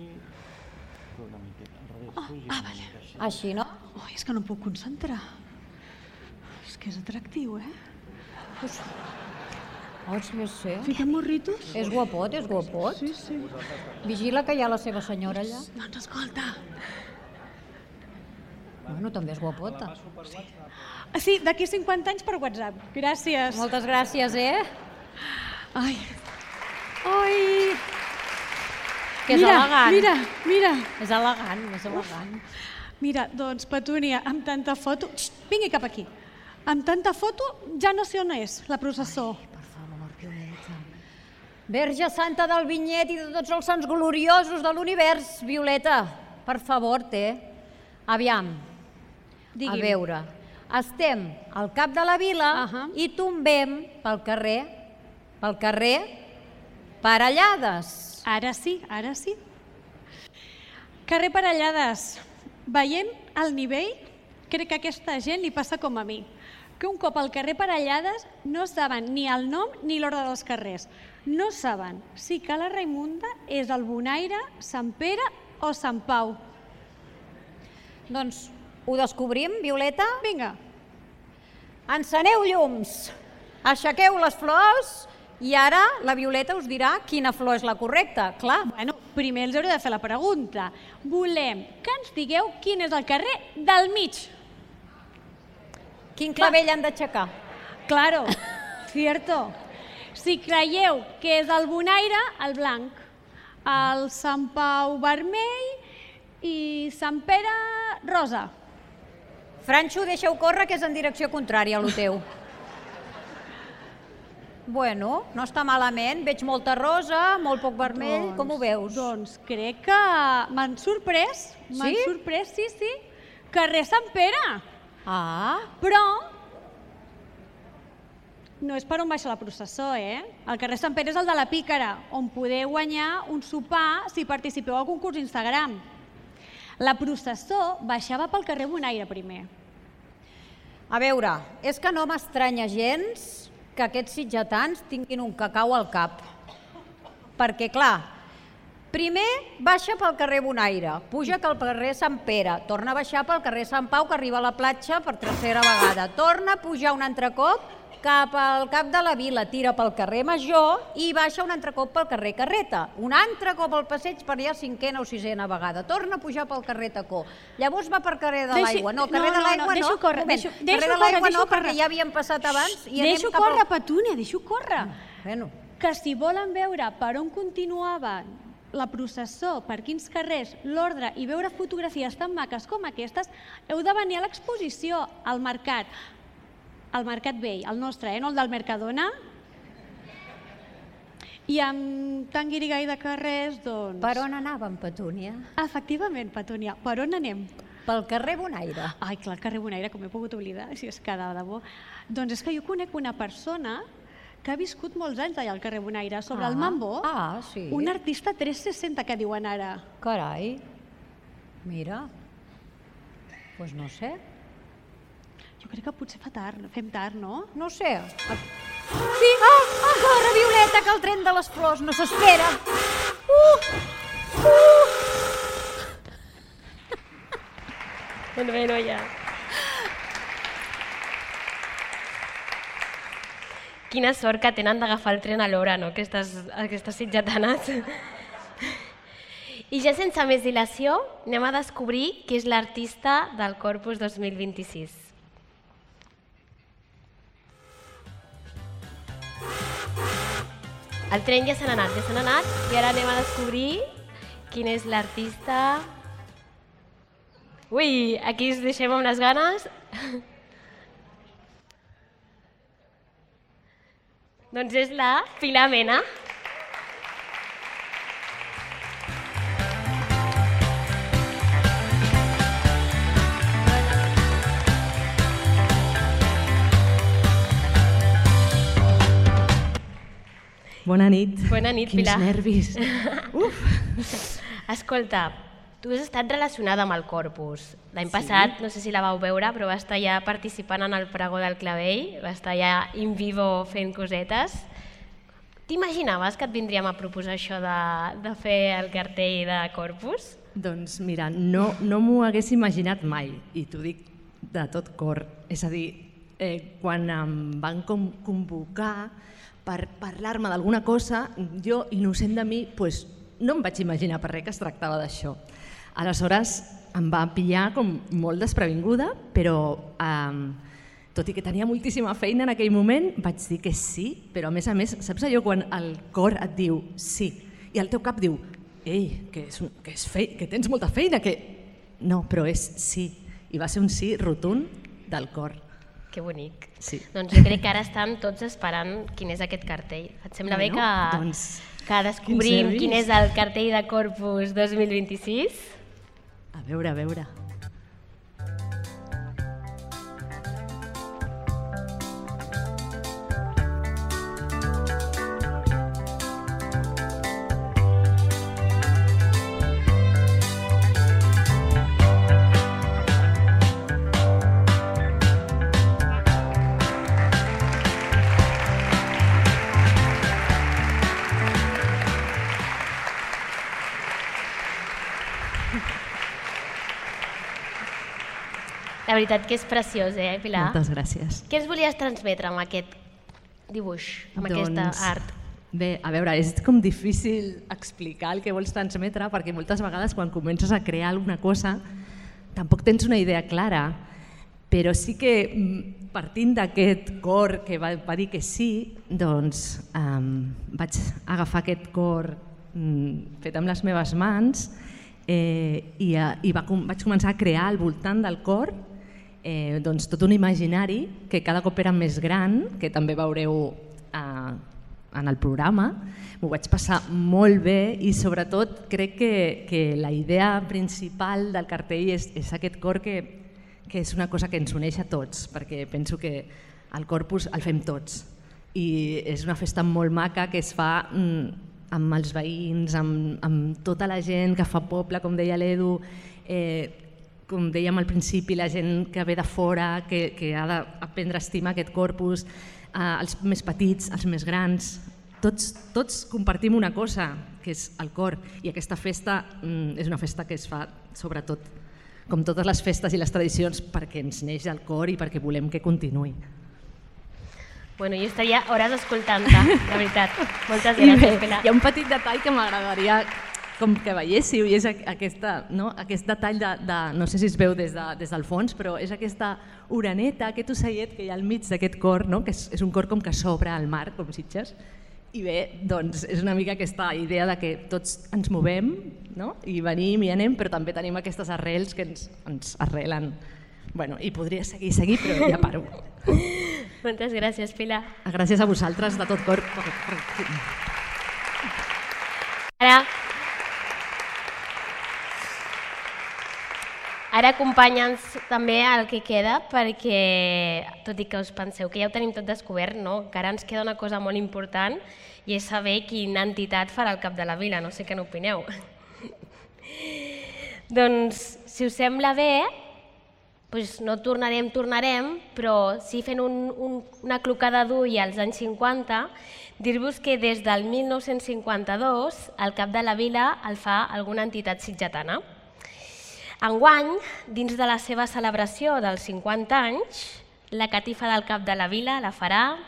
una miqueta al revés. Oh, ah, vale. Així, no? Oh, és que no em puc concentrar. És que és atractiu, eh? Pues... Oh, sí, sí. Fiquem morritos? És guapot, és guapot. Sí, sí. Vigila que hi ha la seva senyora allà. Doncs escolta. Bueno, també és guapota. Sí, sí d'aquí cinquanta anys per WhatsApp. Gràcies. Moltes gràcies, eh? Ai. Ai. Que és elegant. Mira, mira. És elegant, és elegant. Mira, doncs, Petúnia, amb tanta foto... Xxt, vingui cap aquí. Amb tanta foto ja no sé on és la processó. Ai, per favor, Violeta. Verge Santa del Vinyet i de tots els sants gloriosos de l'univers, Violeta. Per favor, té. Aviam. Digui'm. A veure, estem al cap de la vila uh-huh. i tombem pel carrer, pel carrer Parellades. Ara sí, ara sí. Carrer Parellades. Veient el nivell, crec que a aquesta gent li passa com a mi, que un cop al carrer Parellades no saben ni el nom ni l'ordre dels carrers. No saben si Cala Raimunda és el Bonaire, Sant Pere o Sant Pau. Doncs ho descobrim, Violeta? Vinga. Enceneu llums, aixequeu les flors i ara la Violeta us dirà quina flor és la correcta, clar. Bueno, primer els hauré de fer la pregunta. Volem que ens digueu quin és el carrer del mig. Quin clavell han d'aixecar? Claro, cierto. Si creieu que és el Bonaire, el blanc. El Sant Pau vermell i Sant Pere rosa. Franxo, deixa-ho córrer, que és en direcció contrària a lo teu. Bueno, no està malament. Veig molta rosa, molt poc vermell. Doncs, com ho veus? Doncs crec que m'han sorprès. M'han Sí? sorprès, sí, sí. Carrer Sant Pere. Ah, Però no és per on baixa la processó, eh? El carrer Sant Pere és el de la Pícara, on podeu guanyar un sopar si participeu al concurs Instagram. La processó baixava pel carrer Bonaire primer. a veure, és que no m'estranya gens que aquests sitgetans tinguin un cacau al cap. Perquè, clar, primer baixa pel carrer Bonaire, puja pel carrer Sant Pere, torna a baixar pel carrer Sant Pau, que arriba a la platja per tercera vegada, torna a pujar un altre cop cap al cap de la vila, tira pel carrer Major i baixa un altre cop pel carrer Carreta, un altre cop al passeig per allà cinquena o sisena vegada, torna a pujar pel carrer Tacó, llavors va per carrer de l'Aigua, no, carrer de l'Aigua no, deixo córrer, moment, deixo, carrer deixo de l'Aigua córrer, no, deixo perquè córrer. ja havíem passat abans i anem Deixo cap córrer, al... Petúnia, deixo córrer. Bueno, Que si volen veure per on continuava la processó, per quins carrers, l'ordre i veure fotografies tan maques com aquestes, heu de venir a l'exposició al mercat, al Mercat Vell, el nostre, eh? No el del Mercadona. I amb tan guirigall de carrers, doncs... Per on anàvem, Petúnia? Efectivament, Petúnia. Per on anem? Pel carrer Bonaire. Ai, clar, el carrer Bonaire, com he pogut oblidar, si és que de debò. Doncs és que jo conec una persona que ha viscut molts anys allà al carrer Bonaire, sobre el Mambo. Ah, sí. Un artista tres seixanta que diuen ara. Carai, mira, doncs no sé. Jo crec que potser fa tard, fem tard, no? No sé. Sí, ah, ah, corre, Violeta, que el tren de les flors no s'espera. Uh, uh. Doncs bé, noia. Quina sort que tenen d'agafar el tren a l'hora, no?, aquestes, aquestes sitjatanes. I ja sense més dilació, anem a descobrir qui és l'artista del Corpus dos mil vint-i-sis. El tren ja se n'ha anat, ja se n'ha anat, i ara anem a descobrir quin és l'artista... Ui, aquí us deixem amb les ganes. Doncs és la Pilar Mena. Bona nit. Bona nit, Quins Pilar. Quins nervis. Uf. Escolta, tu has estat relacionada amb el Corpus. L'any passat, no sé si la vau veure, però va estar ja participant en el pregó del Clavell, va estar ja in vivo fent cosetes. T'imaginaves que et vindríem a proposar això de, de fer el cartell de Corpus? Doncs mira, no, no m'ho hagués imaginat mai, i t'ho dic de tot cor. És a dir, eh, quan em van com convocar per parlar-me d'alguna cosa, jo, innocent de mi, pues, no em vaig imaginar per res que es tractava d'això. Aleshores em va pillar com molt desprevinguda, però eh, tot i que tenia moltíssima feina en aquell moment, vaig dir que sí, però a més a més, saps allò quan el cor et diu sí i el teu cap diu ei, que, és un, que, és fe, que tens molta feina, que... No, però és sí, i va ser un sí rotund del cor. Que bonic. Sí. Doncs jo crec que ara estan tots esperant quin és aquest cartell. Et sembla bé Bueno, que, doncs, que descobrim quins quin és el cartell de Corpus dos mil vint-i-sis? A veure, a veure. La veritat que és preciós, eh, Pilar? Moltes gràcies. Què ens volies transmetre amb aquest dibuix, amb Doncs, aquesta art? Bé, a veure, és com difícil explicar el que vols transmetre perquè moltes vegades quan comences a crear alguna cosa tampoc tens una idea clara, però sí que partint d'aquest cor que va, va dir que sí, doncs um, vaig agafar aquest cor um, fet amb les meves mans eh, i, i va, vaig començar a crear al voltant del cor eh, doncs tot un imaginari que cada cop era més gran, que també veureu eh, en el programa. M'ho vaig passar molt bé i sobretot crec que, que la idea principal del cartell és, és aquest cor que, que és una cosa que ens uneix a tots, perquè penso que el Corpus el fem tots i és una festa molt maca que es fa mm, amb els veïns, amb, amb tota la gent que fa poble, com deia l'Edu, eh, com dèiem al principi, la gent que ve de fora, que, que ha d'aprendre a estimar aquest Corpus, eh, els més petits, els més grans, tots, tots compartim una cosa, que és el cor, i aquesta festa mm, és una festa que es fa sobretot, com totes les festes i les tradicions, perquè ens neix el cor i perquè volem que continuï. Bueno, jo estaria hores escoltant-te, la veritat. Moltes gràcies, Pilar. Hi ha un petit detall que m'agradaria com que veiéssiu, i és aquesta, no? Aquest detall de, de, no sé si es veu des, de, des del fons, però és aquesta oreneta, aquest ocellet que hi ha al mig d'aquest cor, no? Que és, és un cor com que s'obre al mar, com Sitges, i bé, doncs és una mica aquesta idea de que tots ens movem, no? I venim i anem, però també tenim aquestes arrels que ens, ens arrelen. Bueno, i podria seguir, seguir, però ja paro. Moltes gràcies, Pilar. Gràcies a vosaltres de tot cor. Ara... Ara acompanya'ns també el que queda, perquè, tot i que us penseu que ja ho tenim tot descobert, no? Encara ens queda una cosa molt important i és saber quina entitat farà el cap de la vila, no sé què n'opineu. Doncs, si us sembla bé, doncs no tornarem, tornarem, però sí fent un, un, una clocada d'ull als anys cinquanta, dir-vos que des del mil nou-cents cinquanta-dos el cap de la vila el fa alguna entitat sitgetana. Enguany, dins de la seva celebració dels cinquanta anys, la catifa del cap de la vila la farà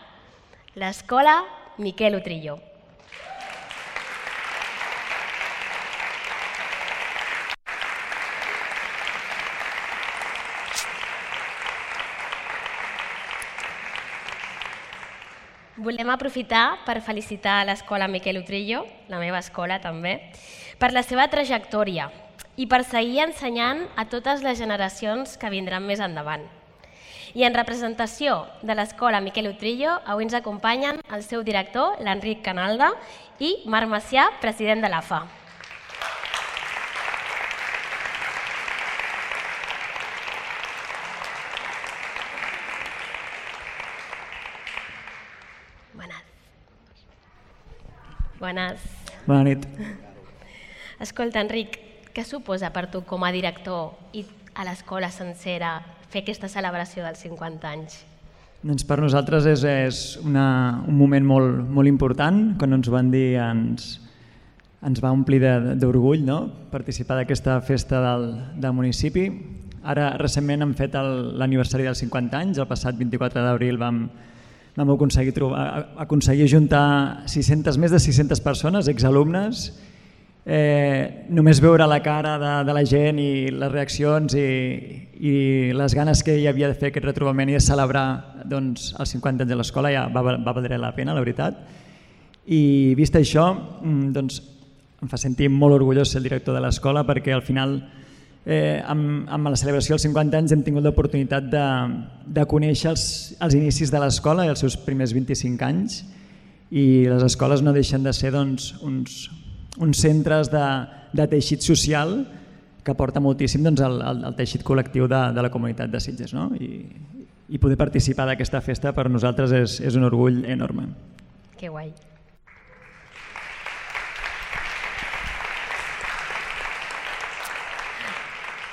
l'Escola Miquel Utrillo. Volem aprofitar per felicitar l'Escola Miquel Utrillo, la meva escola també, per la seva trajectòria i per seguir ensenyant a totes les generacions que vindran més endavant. I en representació de l'Escola Miquel Utrillo, avui ens acompanyen el seu director, l'Enric Canalda, i Marc Macià, president de l'A F A. Bones. Bona nit. Escolta, Enric, què suposa per tu com a director i a l'escola sencera fer aquesta celebració dels cinquanta anys? Doncs per nosaltres és, és una, un moment molt, molt important. Quan ens ho van dir ens, ens va omplir d'orgull, no? Participar d'aquesta festa del, del municipi. Ara recentment hem fet l'aniversari dels cinquanta anys, el passat vint-i-quatre d'abril vam vam aconseguir, trobar, aconseguir juntar sis-centes, més de sis-centes persones, exalumnes. Eh, només veure la cara de, de la gent i les reaccions i, i les ganes que hi havia de fer aquest retrobament i de celebrar doncs, els cinquanta anys de l'escola ja va, va valer la pena, la veritat. I vist això, doncs, em fa sentir molt orgullós ser el director de l'escola perquè al final Eh, amb, amb la celebració dels cinquanta anys hem tingut l'oportunitat de, de conèixer els, els inicis de l'escola i els seus primers vint-i-cinc anys i les escoles no deixen de ser doncs, uns, uns centres de, de teixit social que aporta moltíssim doncs, al, al, al teixit col·lectiu de, de la comunitat de Sitges, no? I, i poder participar d'aquesta festa per nosaltres és, és un orgull enorme. Que guai.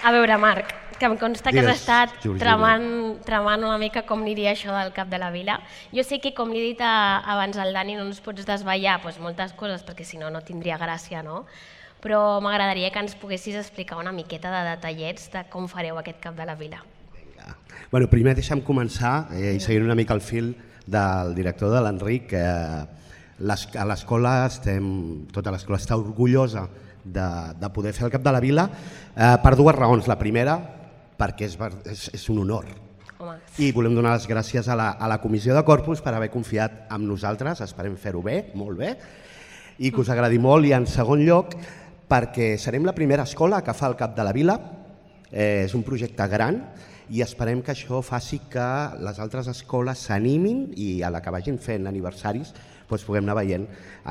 A veure, Marc, que em consta que has estat tramant, tramant una mica com aniria això del cap de la vila. Jo sé que, com li he dit a, abans al Dani, no ens pots desvetllar doncs, moltes coses perquè si no, no tindria gràcia, no? Però m'agradaria que ens poguessis explicar una miqueta de detallets de com fareu aquest cap de la vila. Vinga. Bueno, primer deixa'm començar eh, i seguir una mica el fil del director de l'Enric. Eh, a l'escola estem, tota l'escola està orgullosa De, de poder fer el cap de la vila eh, per dues raons. La primera, perquè és, és, és un honor. Home. I volem donar les gràcies a la, a la Comissió de Corpus per haver confiat en nosaltres, esperem fer-ho bé, molt bé, i que us agradi molt. I en segon lloc, perquè serem la primera escola que fa el cap de la vila, eh, és un projecte gran i esperem que això faci que les altres escoles s'animin i a la que vagin fent aniversaris doncs puguem anar veient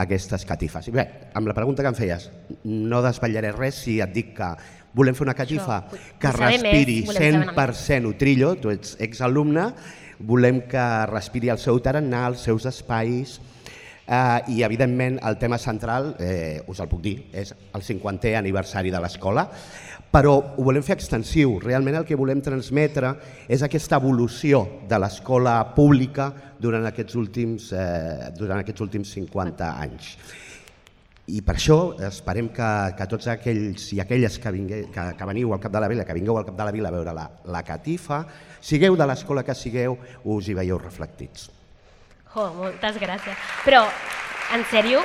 aquestes catifes. I bé, amb la pregunta que em feies, no desvetllaré res si et dic que volem fer una catifa que respiri cent per cent Utrillo, tu ets exalumne, volem que respiri el seu tarannà, els seus espais eh, i evidentment el tema central, eh, us el puc dir, és el cinquantè aniversari de l'escola, però ho volem fer extensiu. Realment el que volem transmetre és aquesta evolució de l'escola pública durant aquests últims, eh, durant aquests últims cinquanta anys. I per això esperem que, que tots aquells i aquelles que, vingue, que, que veniu al cap de la vila, que vingueu al cap de la vila a veure la, la catifa, sigueu de l'escola que sigueu, us hi veieu reflectits. Oh, moltes gràcies. Però, en sèrio,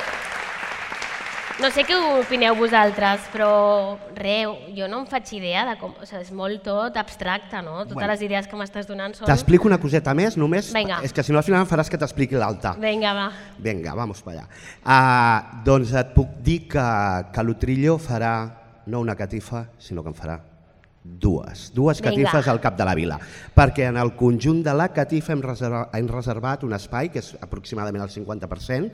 no sé què opineu vosaltres, però re, jo no em faig idea de com... O sigui, és molt tot abstracte, no? Totes bueno, les idees que m'estàs donant són... T'explico una coseta més, només... Venga. És que si no al final em faràs que t'expliqui l'alta. Vinga, va. Vinga, vamos per allà. Uh, doncs et puc dir que, que l'Utrillo farà no una catifa, sinó que en farà dues. Dues catifes Venga. Al cap de la vila. Perquè en el conjunt de la catifa hem reservat, hem reservat un espai, que és aproximadament el cinquanta per cent,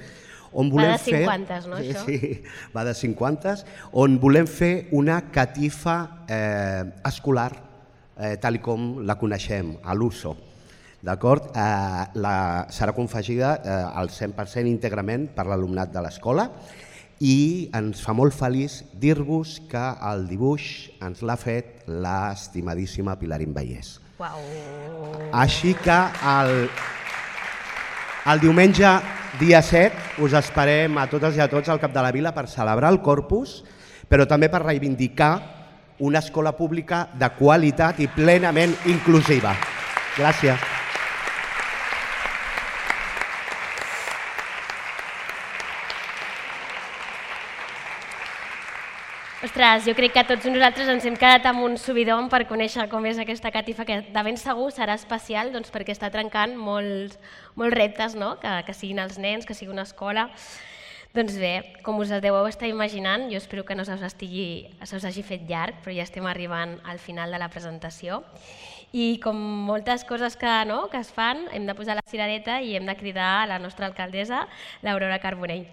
on va volem de fer... cinquanta, no, això? Sí, va de cinquanta, on volem fer una catifa eh, escolar, eh, tal com la coneixem, a l'Uso. D'acord? Eh, la, serà confegida eh, al cent per cent íntegrament per l'alumnat de l'escola i ens fa molt feliç dir-vos que el dibuix ens l'ha fet l'estimadíssima Pilarín Vallès. Uau. Així que el, el diumenge dia set us esperem a totes i a tots al Cap de la Vila per celebrar el Corpus, però també per reivindicar una escola pública de qualitat i plenament inclusiva. Gràcies. Ostres, jo crec que tots nosaltres ens hem quedat amb un subidon per conèixer com és aquesta catifa, que de ben segur serà especial doncs, perquè està trencant molts, molts reptes, no? que, que siguin els nens, que sigui una escola. Doncs bé, com us deveu estar imaginant, jo espero que no se us, estigui, se us hagi fet llarg, però ja estem arribant al final de la presentació. I com moltes coses que, no, que es fan, hem de posar la cirereta i hem de cridar a la nostra alcaldessa, l'Aurora Carbonell.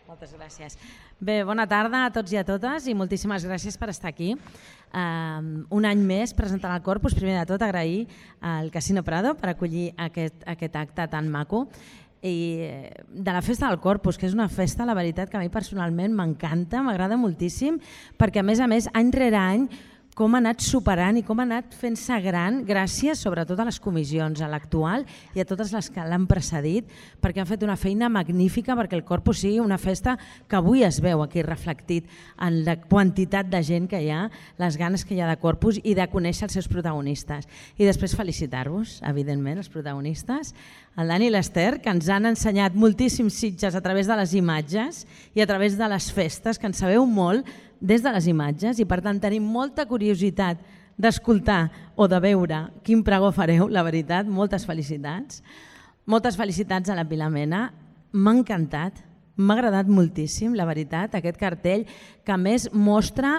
Moltes gràcies. Bé, bona tarda a tots i a totes i moltíssimes gràcies per estar aquí. Um, un any més presentant el Corpus, primer de tot agrair al Casino Prado per acollir aquest, aquest acte tan maco i de la festa del Corpus, que és una festa, la veritat, que a mi personalment m'encanta, m'agrada moltíssim, perquè a més a més, any rere any, com ha anat superant i com ha anat fent-se gran gràcies sobretot a les comissions, a l'actual i a totes les que l'han precedit, perquè han fet una feina magnífica perquè el Corpus sigui una festa que avui es veu aquí reflectit en la quantitat de gent que hi ha, les ganes que hi ha de Corpus i de conèixer els seus protagonistes. I després felicitar-vos, evidentment, els protagonistes, el Dani i l'Ester, que ens han ensenyat moltíssims Sitges a través de les imatges i a través de les festes, que en sabeu molt des de les imatges i per tant tenim molta curiositat d'escoltar o de veure quin pregó fareu, la veritat, moltes felicitats. Moltes felicitats a la Pilar Mena, m'ha encantat, m'ha agradat moltíssim, la veritat, aquest cartell que a més mostra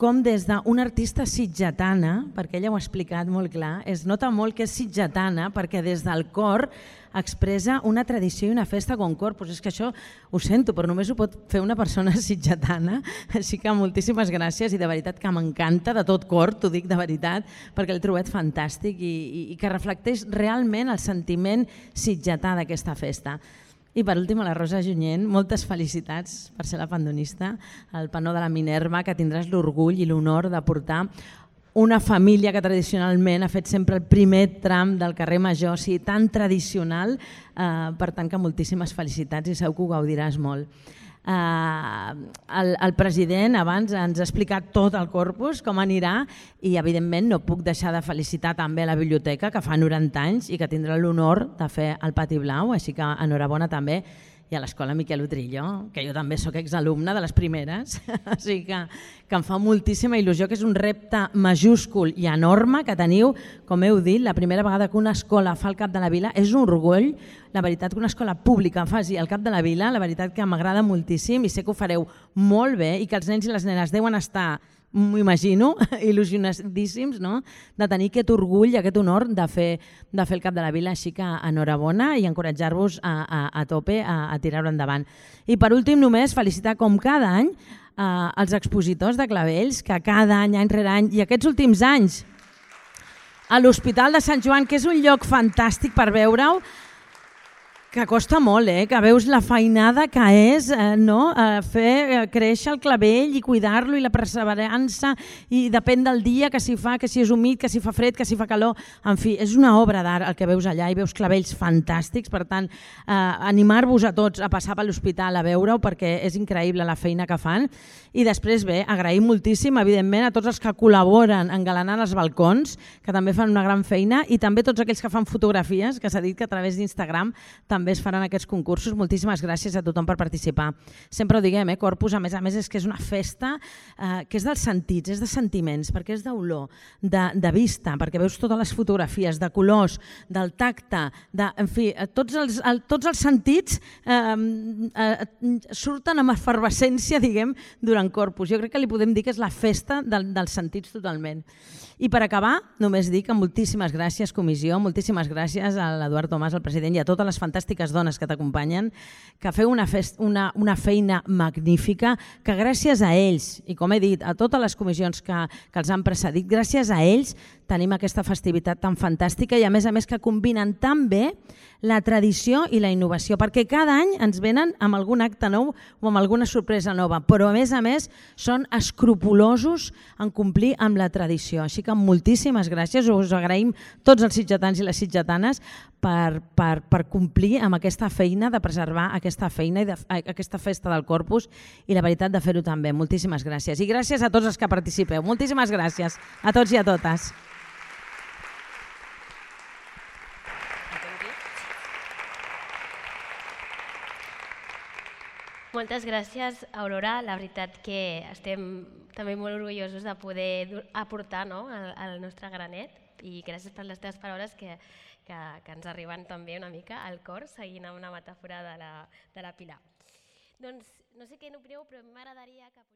com des d'una artista sitgetana, perquè ella ho ha explicat molt clar, es nota molt que és sitgetana perquè des del cor expressa una tradició i una festa com Corpus. És que això ho sento, però només ho pot fer una persona sitgetana, així que moltíssimes gràcies i de veritat que m'encanta de tot cor, t'ho dic de veritat, perquè l'he trobat fantàstic i, i, i que reflecteix realment el sentiment sitgetà d'aquesta festa. I per últim a la Rosa Junyent, moltes felicitats per ser la pandonista, el panó de la Minerva, que tindràs l'orgull i l'honor de portar una família que tradicionalment ha fet sempre el primer tram del carrer Major, o sigui, tan tradicional, eh, per tant que moltíssimes felicitats i segur que ho gaudiràs molt. Eh, el, el president abans ens ha explicat tot el Corpus, com anirà, i evidentment no puc deixar de felicitar també la biblioteca, que fa noranta anys i que tindrà l'honor de fer el Pati Blau, així que enhorabona també, i a l'Escola Miquel Utrillo, que jo també sóc exalumna de les primeres, així que, que em fa moltíssima il·lusió, que és un repte majúscul i enorme que teniu, com heu dit, la primera vegada que una escola fa el Cap de la Vila, és un orgull, la veritat que una escola pública faci el Cap de la Vila, la veritat que m'agrada moltíssim i sé que ho fareu molt bé i que els nens i les nenes deuen estar, m'ho imagino, il·lusionadíssims, no? De tenir aquest orgull i aquest honor de fer, de fer el Cap de la Vila, així que enhorabona i encoratjar-vos a, a, a tope a, a tirar-ho endavant. I per últim només felicitar com cada any eh, els expositors de Clavells, que cada any, any rere any, i aquests últims anys a l'Hospital de Sant Joan, que és un lloc fantàstic per veure-ho, que costa molt, eh? Que veus la feinada que és eh, no? eh, fer eh, créixer el clavell i cuidar-lo i la perseverança i depèn del dia que s'hi fa, que si és humit, que si fa fred, que si fa calor, en fi, és una obra d'art el que veus allà i veus clavells fantàstics, per tant, eh, animar-vos a tots a passar per l'hospital a veure-ho perquè és increïble la feina que fan i després bé, agrair moltíssim evidentment a tots els que col·laboren engalanant els balcons, que també fan una gran feina i també tots aquells que fan fotografies, que s'ha dit que a través d'Instagram també també es faran aquests concursos. Moltíssimes gràcies a tothom per participar. Sempre ho diguem, eh? Corpus, a més a més, és que és una festa eh, que és dels sentits, és de sentiments, perquè és d'olor, de, de vista, perquè veus totes les fotografies, de colors, del tacte, de, en fi, tots els, el, tots els sentits eh, eh, surten amb efervescència, diguem, durant Corpus. Jo crec que li podem dir que és la festa del, dels sentits totalment. I per acabar, només dic que moltíssimes gràcies, comissió, moltíssimes gràcies a l'Eduard Tomàs, el president, i a totes les fantàstiques dones que t'acompanyen, que feu una, fest, una, una feina magnífica, que gràcies a ells, i com he dit, a totes les comissions que, que els han precedit, gràcies a ells tenim aquesta festivitat tan fantàstica i a més a més que combinen tan bé la tradició i la innovació, perquè cada any ens venen amb algun acte nou o amb alguna sorpresa nova, però a més a més són escrupulosos en complir amb la tradició. Així que moltíssimes gràcies, us agraïm tots els sitgetans i les sitgetanes per, per, per complir amb aquesta feina, de preservar aquesta feina i de, aquesta festa del Corpus i la veritat de fer-ho també. Moltíssimes gràcies. I gràcies a tots els que participeu. Moltíssimes gràcies a tots i a totes. Moltes gràcies, Aurora. La veritat que estem també molt orgullosos de poder aportar, no?, el, el nostre granet, i gràcies per les teves paraules que, que, que ens arriben també una mica al cor, seguint amb una metàfora de la, de la Pilar. Doncs no sé què n'opineu, però m'agradaria que...